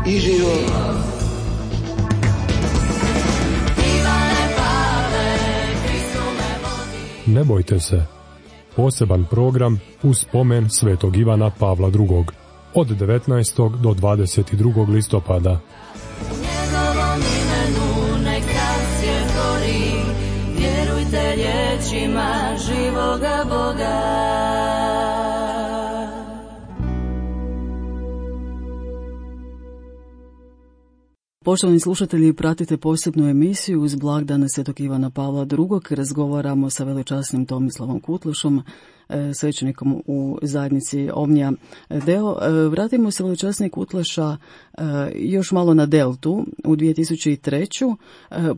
[SPEAKER 1] i život.
[SPEAKER 2] Ne bojte se. Poseban program u spomen Svetog Ivana Pavla drugog. Od devetnaestog do dvadeset drugog listopada.
[SPEAKER 3] U njegovom imenu nek svijet gori, vjerujte riječima živoga Boga.
[SPEAKER 4] Poštovani slušatelji, pratite posebnu emisiju uz blagdane Svetog Ivana Pavla drugog. Razgovaramo sa velečasnim Tomislavom Kutlušom, svećenikom u zajednici Omnija Deo. Vratimo se velečasni Kutleša još malo na Deltu. U dvije tisuće treće.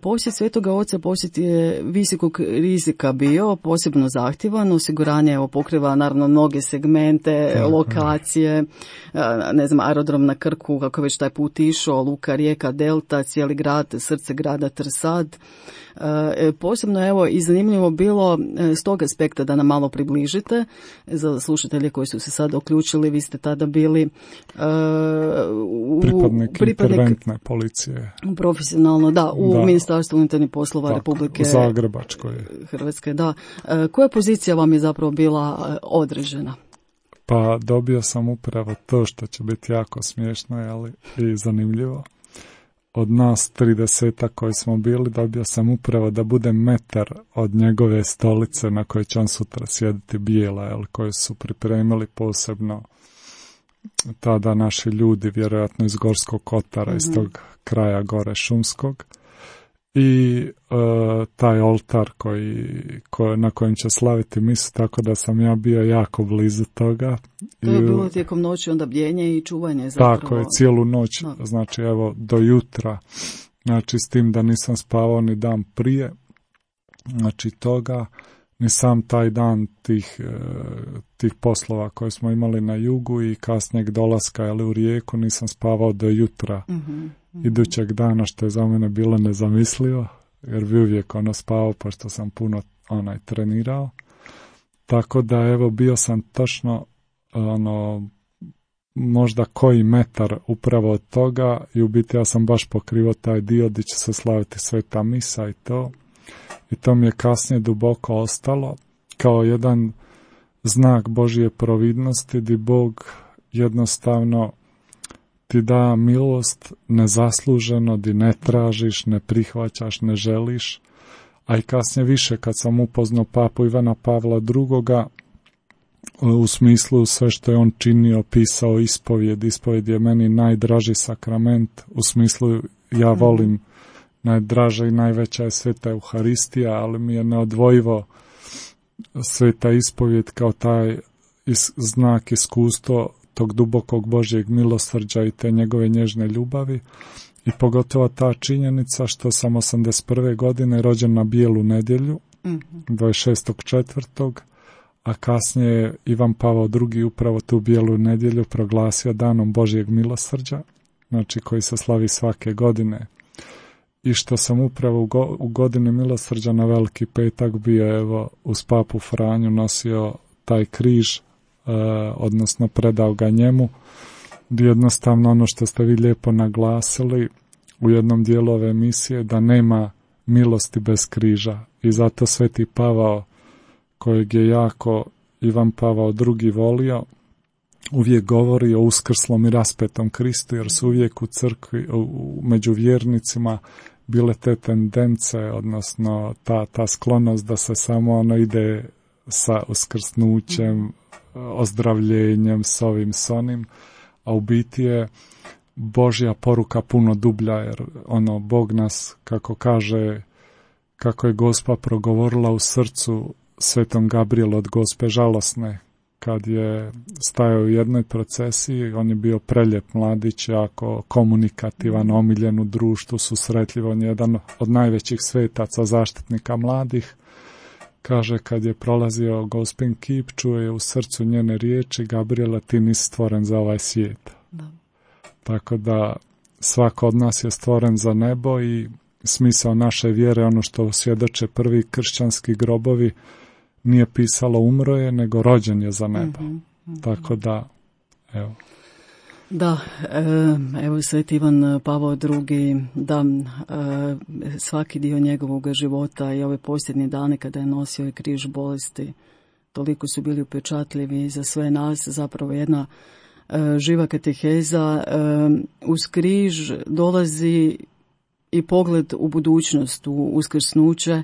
[SPEAKER 4] posjet Svetoga Oca posjet je visokog rizika bio, posebno zahtjevan. Osiguranje evo, pokriva naravno mnoge segmente, lokacije, ne znam, aerodrom na Krku, kako već taj put išao, luka, rijeka, Delta, cijeli grad, srce grada Trsad. E, posebno evo i zanimljivo bilo s tog aspekta da nam malo približite za slušatelje koji su se sada uključili. Vi ste tada bili uh, u,
[SPEAKER 5] pripadnik, pripadnik interventne policije
[SPEAKER 4] profesionalno, da, u
[SPEAKER 5] da.
[SPEAKER 4] Ministarstvu unutarnjih poslova tako, Republike
[SPEAKER 5] Zagrebačkoj
[SPEAKER 4] Hrvatske, da. E, koja pozicija vam je zapravo bila određena?
[SPEAKER 5] Pa dobio sam upravo to što će biti jako smiješno, ali i zanimljivo. Od nas tridesetak koji smo bili, dobio sam upravo da budem metar od njegove stolice na kojoj će on sutra sjediti, bijela, jel, koje su pripremili posebno tada naši ljudi, vjerojatno iz Gorskog Kotara, mm-hmm. iz tog kraja gore šumskog. I e, taj oltar koji, koji, na kojem će slaviti misu, tako da sam ja bio jako blizu toga.
[SPEAKER 4] To je
[SPEAKER 5] I,
[SPEAKER 4] bilo tijekom noći onda bdjenje i čuvanje zapravo.
[SPEAKER 5] Tako je, cijelu noć,
[SPEAKER 4] no.
[SPEAKER 5] znači evo do jutra, znači s tim da nisam spavao ni dan prije, znači toga, ni sam taj dan tih, tih poslova koje smo imali na jugu i kasnijeg dolaska ali u Rijeku nisam spavao do jutra.
[SPEAKER 4] Mm-hmm.
[SPEAKER 5] Idućeg dana, što je za mene bilo nezamislivo, jer bi uvijek ono spavao, pošto sam puno onaj trenirao. Tako da evo bio sam točno ono možda koji metar upravo od toga i u biti ja sam baš pokrivao taj dio gdje će se slaviti sveta misa i to. I to mi je kasnije duboko ostalo kao jedan znak Božje providnosti gdje Bog jednostavno ti da milost nezasluženo, di ne tražiš, ne prihvaćaš, ne želiš, a i kasnije više kad sam upoznao papu Ivana Pavla drugoga, u smislu sve što je on činio, pisao ispovjed, ispovjed je meni najdraži sakrament, u smislu ja volim, najdraža i najveća je sveta Euharistija, ali mi je neodvojivo sveta ispovjed kao taj is, znak, iskustvo tog dubokog Božjeg milosrđa i te njegove nježne ljubavi i pogotovo ta činjenica što sam osamdeset prve godine rođen na Bijelu nedjelju, mm-hmm. dvadeset šestog četvrtog a kasnije je Ivan Pavao drugi upravo tu Bijelu nedjelju proglasio danom Božjeg milosrđa, znači koji se slavi svake godine. I što sam upravo u, go, u godini milosrđa na Veliki petak bio evo uz papu Franju nosio taj križ, Uh, odnosno predao ga njemu, gdje jednostavno ono što ste vi lijepo naglasili u jednom dijelu ove emisije, da nema milosti bez križa i zato Sveti Pavao, kojeg je jako Ivan Pavao drugi volio, uvijek govori o uskrslom i raspetom Kristu, jer su uvijek u crkvi, u, među vjernicima bile te tendence, odnosno ta, ta sklonost da se samo ono ide sa uskrsnućem, ozdravljenjem, s ovim, s onim, a u biti je Božja poruka puno dublja, jer ono, Bog nas, kako kaže, kako je Gospa progovorila u srcu Svetom Gabrielu od Gospe žalosne, kad je stajao u jednoj procesiji, on je bio prelijep mladić, jako komunikativan, omiljen u društvu, susretljiv, on je jedan od najvećih svetaca, zaštitnika mladih. Kaže, kad je prolazio Gospin kip, čuje u srcu njene riječi, Gabriela, ti nisi stvoren za ovaj svijet. Da. Tako da svako od nas je stvoren za nebo i smisao naše vjere, ono što svjedoče prvi kršćanski grobovi, nije pisalo umro je, nego rođen je za nebo. Mm-hmm, mm-hmm. Tako da, evo.
[SPEAKER 4] Da, evo Sveti Ivan Pavao drugi, da, svaki dio njegovog života i ove posljednje dane kada je nosio križ bolesti, toliko su bili upečatljivi za sve nas, zapravo jedna živa kateheza. Uz križ dolazi i pogled u budućnost, u uskrsnuće,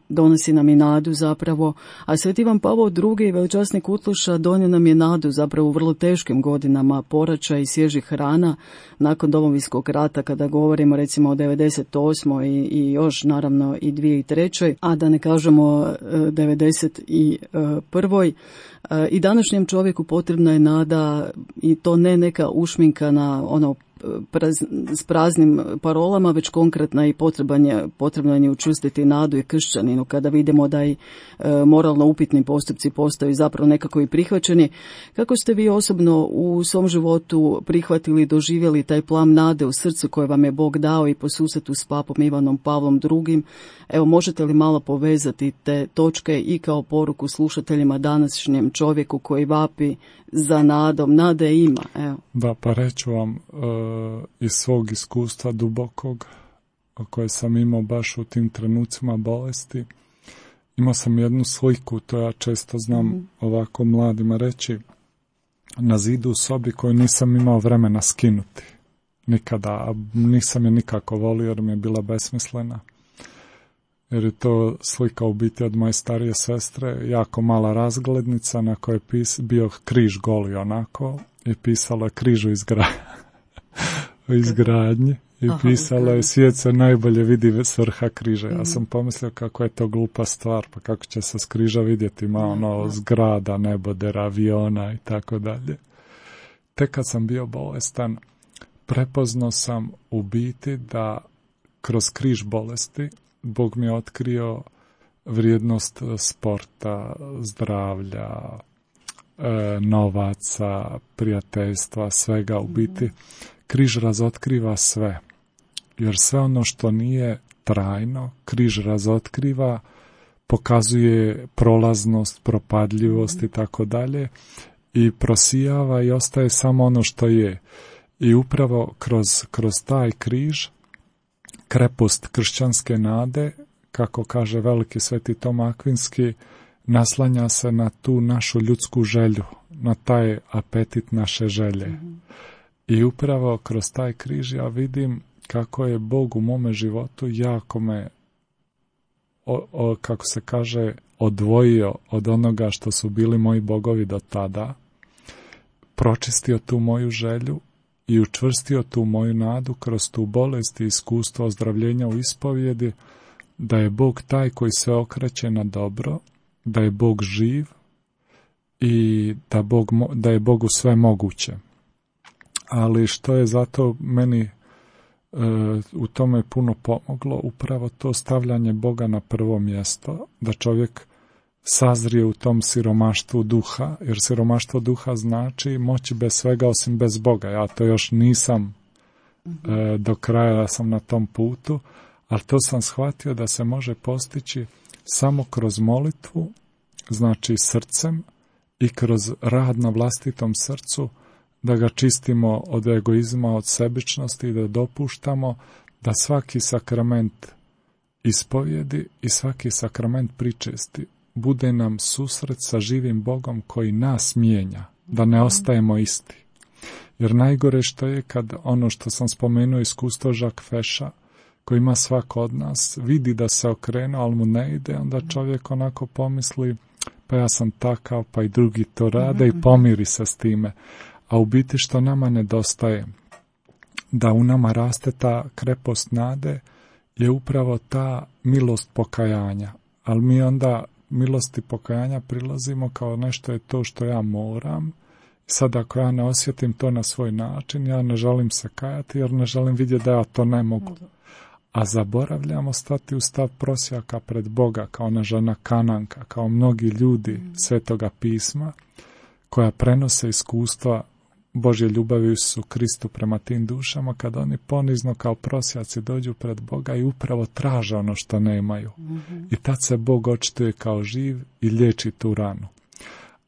[SPEAKER 4] donosi nam i nadu zapravo, a Sveti Ivan Pavao drugi, veličasni Kutluša, donio nam je nadu zapravo u vrlo teškim godinama poraća i svježih rana nakon Domovinskog rata, kada govorimo recimo o devedeset osmoj i, i još naravno i dvije tisuće trećoj, a da ne kažemo devedeset prvoj. I današnjem čovjeku potrebna je nada, i to ne neka ušminkana ono Praz, s praznim parolama, već konkretna i potrebno, potrebno je učvrstiti nadu i kršćaninu kada vidimo da i e, moralno upitni postupci postaju zapravo nekako i prihvaćeni. Kako ste vi osobno u svom životu prihvatili i doživjeli taj plam nade u srcu koje vam je Bog dao i po susretu s papom Ivanom Pavlom drugim? Evo, možete li malo povezati te točke i kao poruku slušateljima, današnjem čovjeku koji vapi za nadom? Nade ima, evo.
[SPEAKER 5] Da, pa reću vam e, iz svog iskustva dubokog koje sam imao baš u tim trenucima bolesti. Imao sam jednu sliku, to ja često znam mm-hmm. ovako mladima reći, na zidu u sobi koju nisam imao vremena skinuti. Nikada, a nisam je nikako volio jer mi je bila besmislena. Jer je to slika u biti od moje starije sestre, jako mala razglednica na kojoj je pis, bio križ goli onako i pisalo je križ u izgra... izgradnji i Aha, pisalo je svijet se najbolje vidi s vrha križa. Ja sam pomislio kako je to glupa stvar, pa kako će se s križa vidjeti, ima ono zgrada, nebodera, aviona i tako dalje. Tek kad sam bio bolestan, prepoznao sam u biti da kroz križ bolesti Bog mi je otkrio vrijednost sporta, zdravlja, e, novaca, prijateljstva, svega. U biti križ razotkriva sve, jer sve ono što nije trajno, križ razotkriva, pokazuje prolaznost, propadljivost i tako dalje i prosijava i ostaje samo ono što je. I upravo kroz, kroz taj križ krepost kršćanske nade, kako kaže veliki sveti Toma Akvinski, naslanja se na tu našu ljudsku želju, na taj apetit naše želje. Mm-hmm. I upravo kroz taj križ ja vidim kako je Bog u mome životu jako me, o, o, kako se kaže, odvojio od onoga što su bili moji bogovi do tada, pročistio tu moju želju i učvrstio tu moju nadu kroz tu bolest i iskustvo ozdravljenja u ispovjedi, da je Bog taj koji se okreće na dobro, da je Bog živ i da, Bog, da je Bogu sve moguće. Ali što je zato meni e, u tome puno pomoglo, upravo to stavljanje Boga na prvo mjesto, da čovjek sazrije u tom siromaštvu duha, jer siromaštvo duha znači moći bez svega osim bez Boga. Ja to još nisam e, do kraja sam na tom putu, ali to sam shvatio da se može postići samo kroz molitvu, znači srcem, i kroz rad na vlastitom srcu, da ga čistimo od egoizma, od sebičnosti i da dopuštamo da svaki sakrament ispovjedi i svaki sakrament pričesti bude nam susret sa živim Bogom koji nas mijenja, da ne ostajemo isti. Jer najgore što je kad ono što sam spomenuo iskustvo Jacques Fecha, koji ima svako od nas, vidi da se okrenuo, ali mu ne ide, onda čovjek onako pomisli, pa ja sam takav, pa i drugi to rade i pomiri se s time. A u biti što nama nedostaje, da u nama raste ta krepost nade, je upravo ta milost pokajanja. Ali mi onda milosti pokajanja prilazimo kao nešto je to što ja moram. Sad ako ja ne osjetim to na svoj način, ja ne želim se kajati jer ne želim vidjeti da ja to ne mogu. A zaboravljamo stati u stav prosjaka pred Boga, kao ona žena Kananka, kao mnogi ljudi Svetoga pisma, koja prenose iskustva Božje ljubavi u Isusu Kristu prema tim dušama, kada oni ponizno kao prosjaci dođu pred Boga i upravo traže ono što nemaju. Mm-hmm. I tad se Bog očituje kao živ i liječi tu ranu.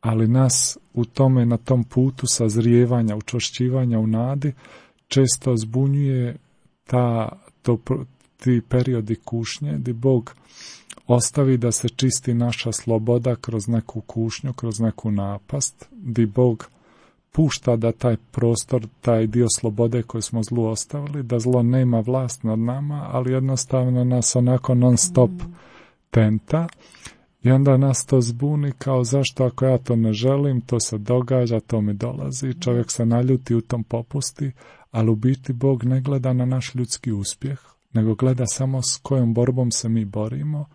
[SPEAKER 5] Ali nas u tome, na tom putu sazrijevanja, učvršćivanja u nadi, često zbunjuje ta, to, ti periodi kušnje, gdje Bog ostavi da se čisti naša sloboda kroz neku kušnju, kroz neku napast, gdje Bog pušta da taj prostor, taj dio slobode koji smo zlu ostavili, da zlo nema vlast nad nama, ali jednostavno nas onako non stop tenta i onda nas to zbuni kao zašto ako ja to ne želim, to se događa, to mi dolazi, čovjek se naljuti, u tom popusti, ali u biti Bog ne gleda na naš ljudski uspjeh, nego gleda samo s kojom borbom se mi borimo,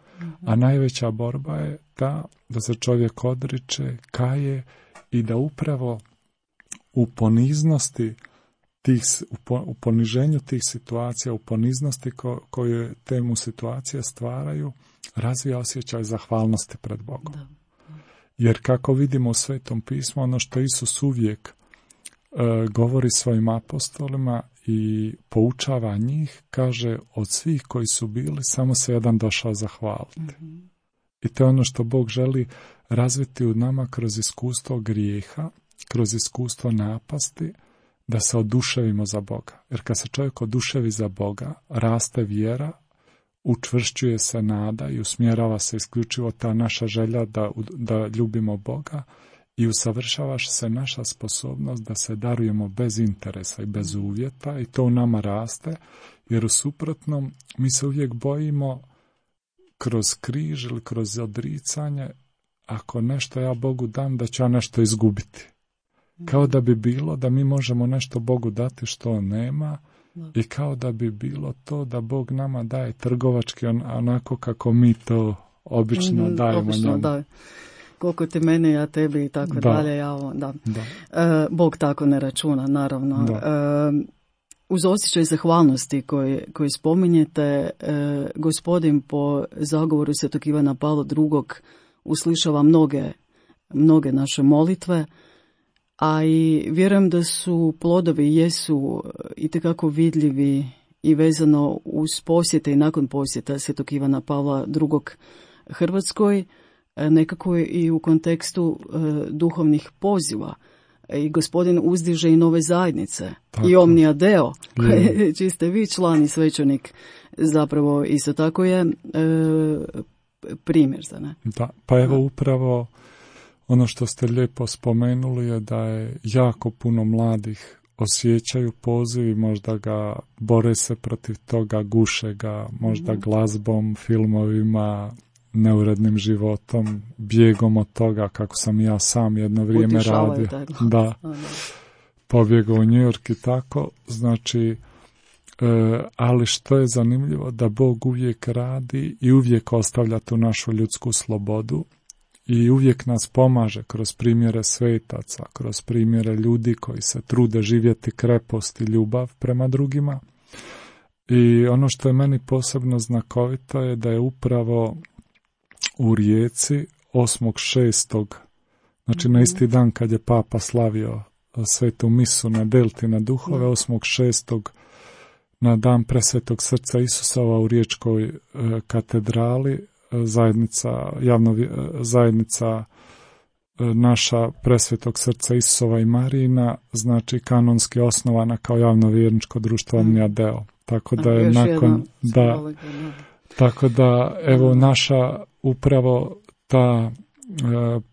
[SPEAKER 5] a najveća borba je ta da se čovjek odriče, kaje i da upravo u poniznosti tih, u poniženju tih situacija, u poniznosti ko, koje te mu situacije stvaraju, razvija osjećaj zahvalnosti pred Bogom. Da. Jer kako vidimo u Svetom pismu, ono što Isus uvijek e, govori svojim apostolima i poučava njih, kaže od svih koji su bili, samo se jedan došao zahvaliti. Mm-hmm. I to je ono što Bog želi razviti u nama kroz iskustvo grijeha, kroz iskustvo napasti, da se oduševimo za Boga. Jer kad se čovjek oduševi za Boga, raste vjera, učvršćuje se nada i usmjerava se isključivo ta naša želja da, da ljubimo Boga i usavršava se naša sposobnost da se darujemo bez interesa i bez uvjeta i to u nama raste, jer u suprotnom mi se uvijek bojimo kroz križ ili kroz odricanje, ako nešto ja Bogu dam, da ću ja nešto izgubiti. Kao da bi bilo da mi možemo nešto Bogu dati što on nema i kao da bi bilo to da Bog nama daje trgovački on, onako kako mi to obično mm, dajemo
[SPEAKER 4] obično,
[SPEAKER 5] njemu.
[SPEAKER 4] Da. Koliko ti mene, ja tebi i tako
[SPEAKER 5] da.
[SPEAKER 4] dalje. Ja, da.
[SPEAKER 5] Da.
[SPEAKER 4] E, Bog tako ne računa, naravno. E, uz osjećaj zahvalnosti koji, koji spominjete, e, Gospodin po zagovoru Svetog Ivana Pavla drugog uslišava mnoge, mnoge naše molitve, a i vjerujem da su plodovi jesu itekako vidljivi i vezano uz posjete i nakon posjeta Svetog Ivana Pavla drugog Hrvatskoj, nekako i u kontekstu e, duhovnih poziva. I Gospodin uzdiže i nove zajednice. Tako. I Omnia Deo, koje čiji ste vi član i svećenik, zapravo isto tako je e, primjer za ne.
[SPEAKER 5] Da, pa evo upravo ono što ste lijepo spomenuli je da je jako puno mladih osjećaju poziv i možda ga bore se protiv toga, guše ga možda mm. glazbom, filmovima, neurednim životom, bijegom od toga kako sam ja sam jedno vrijeme radio. Da, pobjegao u New York i tako. Znači, e, ali što je zanimljivo, da Bog uvijek radi i uvijek ostavlja tu našu ljudsku slobodu i uvijek nas pomaže kroz primjere svetaca, kroz primjere ljudi koji se trude živjeti krepost i ljubav prema drugima. I ono što je meni posebno znakovito je da je upravo u Rijeci osmog šestog znači na isti dan kad je Papa slavio svetu misu na Delti na duhove, osmog šestog na dan presvetog srca Isusova u Riječkoj e, katedrali, zajednica, javno, zajednica e, naša presvetog srca Isusova i Marijina, znači kanonski osnovana kao javno-vjerničko društvo Omnia Deo. Tako da je nakon da, tako da evo naša upravo ta e,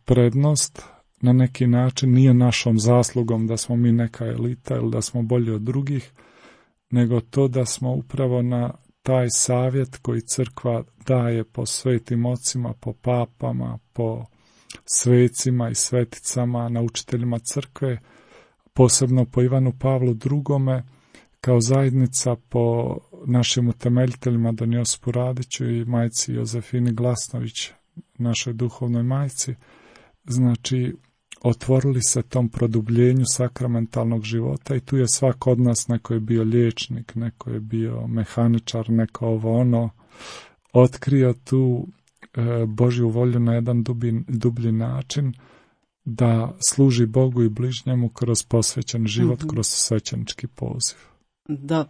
[SPEAKER 5] prednost na neki način nije našom zaslugom da smo mi neka elita ili da smo bolji od drugih, nego to da smo upravo na taj savjet koji crkva daje po svetim ocima, po papama, po svecima i sveticama, naučiteljima crkve, posebno po Ivanu Pavlu drugome, kao zajednica po našim utemeljiteljima Don Josipu Radiću i majci Jozefini Glasnović, našoj duhovnoj majci, znači otvorili se tom produbljenju sakramentalnog života i tu je svak od nas, neko je bio liječnik, neko je bio mehaničar, neko ovo ono, otkrio tu e, Božju volju na jedan dubi, dublji način da služi Bogu i bližnjemu kroz posvećen život, mm-hmm. kroz svećenički poziv.
[SPEAKER 4] Da,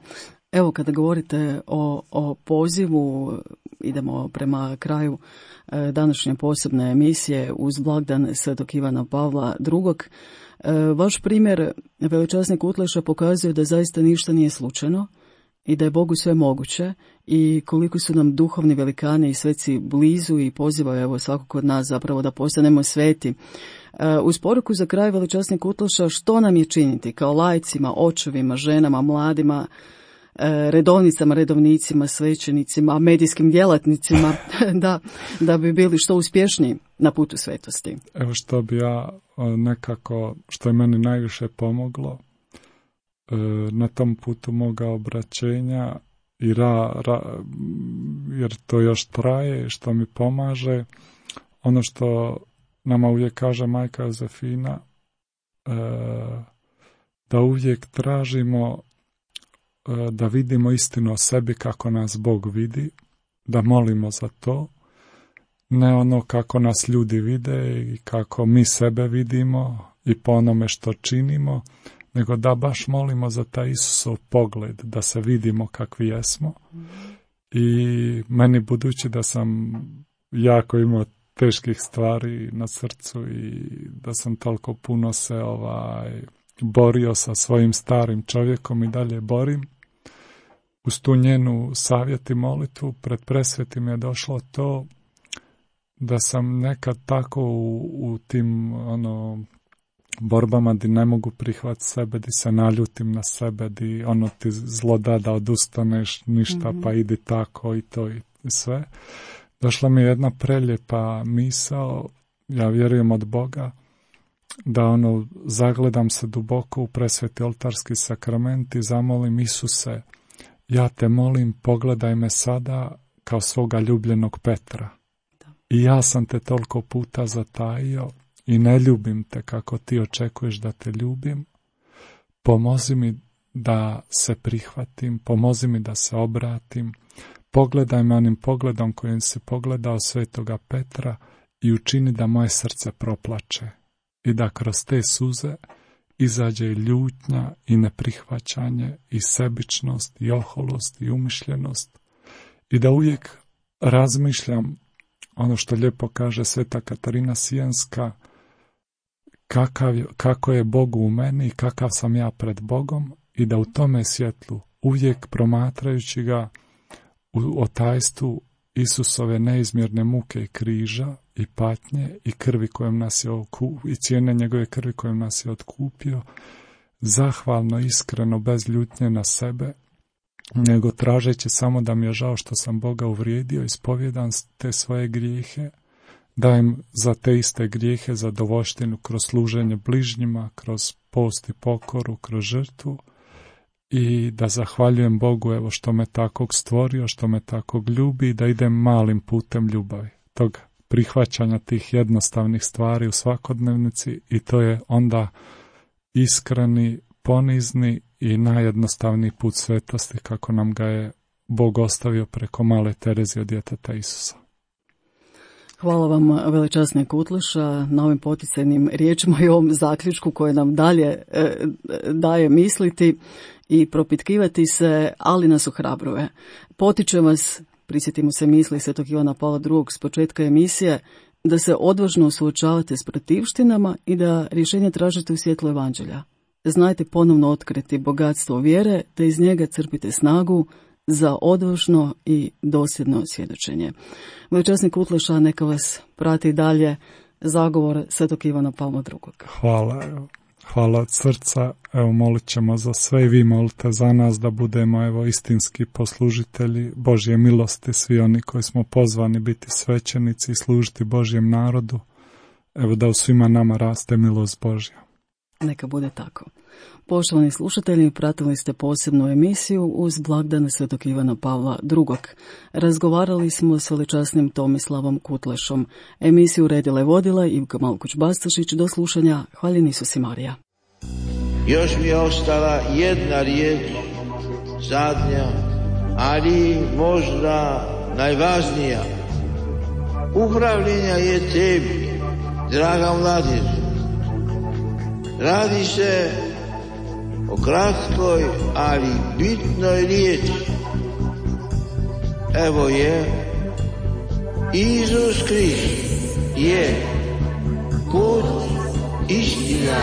[SPEAKER 4] evo kada govorite o, o pozivu, idemo prema kraju e, današnje posebne emisije uz blagdan Svetog Ivana Pavla drugog. E, vaš primjer, veličasni Kutleša, pokazuje da zaista ništa nije slučajno i da je Bogu sve moguće i koliko su nam duhovni velikani i sveci blizu i pozivaju evo svakog od nas zapravo da postanemo sveti. E, uz poruku za kraj, veličasni Kutleša, što nam je činiti kao laicima, očevima, ženama, mladima, redovnicama, redovnicima, svećenicima, medijskim djelatnicima da, da bi bili što uspješniji na putu svetosti?
[SPEAKER 5] Evo što bi ja nekako, što je meni najviše pomoglo na tom putu moga obraćenja i ra, ra, jer to još traje, što mi pomaže, ono što nama uvijek kaže majka Jozefina, da uvijek tražimo da vidimo istinu o sebi kako nas Bog vidi, da molimo za to, ne ono kako nas ljudi vide i kako mi sebe vidimo i po onome što činimo, nego da baš molimo za taj Isusov pogled, da se vidimo kakvi jesmo. I meni, budući da sam jako imao teških stvari na srcu i da sam toliko puno se ovaj borio sa svojim starim čovjekom i dalje borim, uz tu njenu savjet i molitvu pred presvetim je došlo to da sam nekad tako u, u tim ono borbama di ne mogu prihvatiti sebe, di se naljutim na sebe, di ono ti zlo da da odustaneš ništa, mm-hmm. pa idi tako i to i sve. Došla mi je jedna preljepa misao, ja vjerujem od Boga, da ono zagledam se duboko u presveti oltarski sakrament i zamolim Isuse, ja te molim, pogledaj me sada kao svoga ljubljenog Petra. Da. I ja sam te toliko puta zatajio i ne ljubim te kako ti očekuješ da te ljubim. Pomozi mi da se prihvatim, pomozi mi da se obratim. Pogledaj me onim pogledom kojim si pogledao svetoga Petra i učini da moje srce proplače i da kroz te suze izađe i ljutnja i neprihvaćanje i sebičnost i oholost i umišljenost i da uvijek razmišljam ono što lijepo kaže sveta Katarina Sijenska, kakav, kako je Bog u meni i kakav sam ja pred Bogom i da u tome svjetlu uvijek promatrajući ga u otajstvu Isusove neizmjerne muke i križa i patnje i krvi kojom nas je oku, i cijene njegove krvi kojom nas je otkupio, zahvalno, iskreno, bez ljutnje na sebe, nego tražeći samo da mi je žao što sam Boga uvrijedio, ispovjedam te svoje grijehe, dajem za te iste grijehe zadovoljštinu kroz služenje bližnjima, kroz post i pokoru, kroz žrtvu, i da zahvaljujem Bogu evo što me takvog stvorio, što me takvog ljubi i da idem malim putem ljubavi, tog prihvaćanja tih jednostavnih stvari u svakodnevnici, i to je onda iskreni, ponizni i najjednostavniji put svetosti kako nam ga je Bog ostavio preko male Terezije od djeteta Isusa.
[SPEAKER 4] Hvala vam, veličasni Kutleša, na ovim poticajnim riječima i ovom zaključku koje nam dalje e, daje misliti i propitkivati se, ali nas ohrabruje. Potiče vas, prisjetimo se misli svetog Ivana Pavla drugog s početka emisije, da se odvažno suočavate s protivštinama i da rješenje tražite u svjetlu evanđelja. Znajte ponovno otkriti bogatstvo vjere, te iz njega crpite snagu za odvažno i dosljedno svjedočenje. Veličasni Kutleša, neka vas prati dalje zagovor svetog Ivana Pavla drugog.
[SPEAKER 5] Hvala, evo. Hvala od srca, evo molit ćemo za sve i vi molite za nas da budemo evo istinski poslužitelji Božje milosti, svi oni koji smo pozvani biti svećenici i služiti Božjem narodu, evo da u svima nama raste milost Božja.
[SPEAKER 4] Neka bude tako. Poštovani slušatelji, pratili ste posebnu emisiju uz blagdane svetog Ivana Pavla drugog. Razgovarali smo s veličasnim Tomislavom Kutlešom. Emisiju redila i vodila Ivka Malkuć-Bastašić. Do slušanja. Hvaljen Isus i Marija.
[SPEAKER 1] Još mi je ostala jedna riječ, zadnja, ali možda najvažnija. Upravljenja je tebi, draga mladež. Radi se o kratkoj, ali bitnoj riječi. Evo je, Isus Krist je put, istina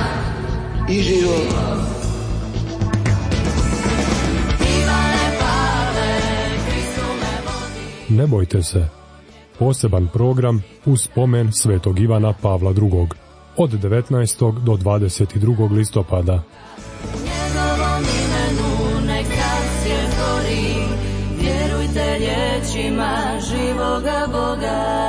[SPEAKER 1] i život.
[SPEAKER 2] Ne bojte se. Poseban program uz spomen svetog Ivana Pavla drugog. Od devetnaestog do dvadeset drugog listopada.
[SPEAKER 3] Njegovom imenu nek zasvjetlo riječima živoga Boga.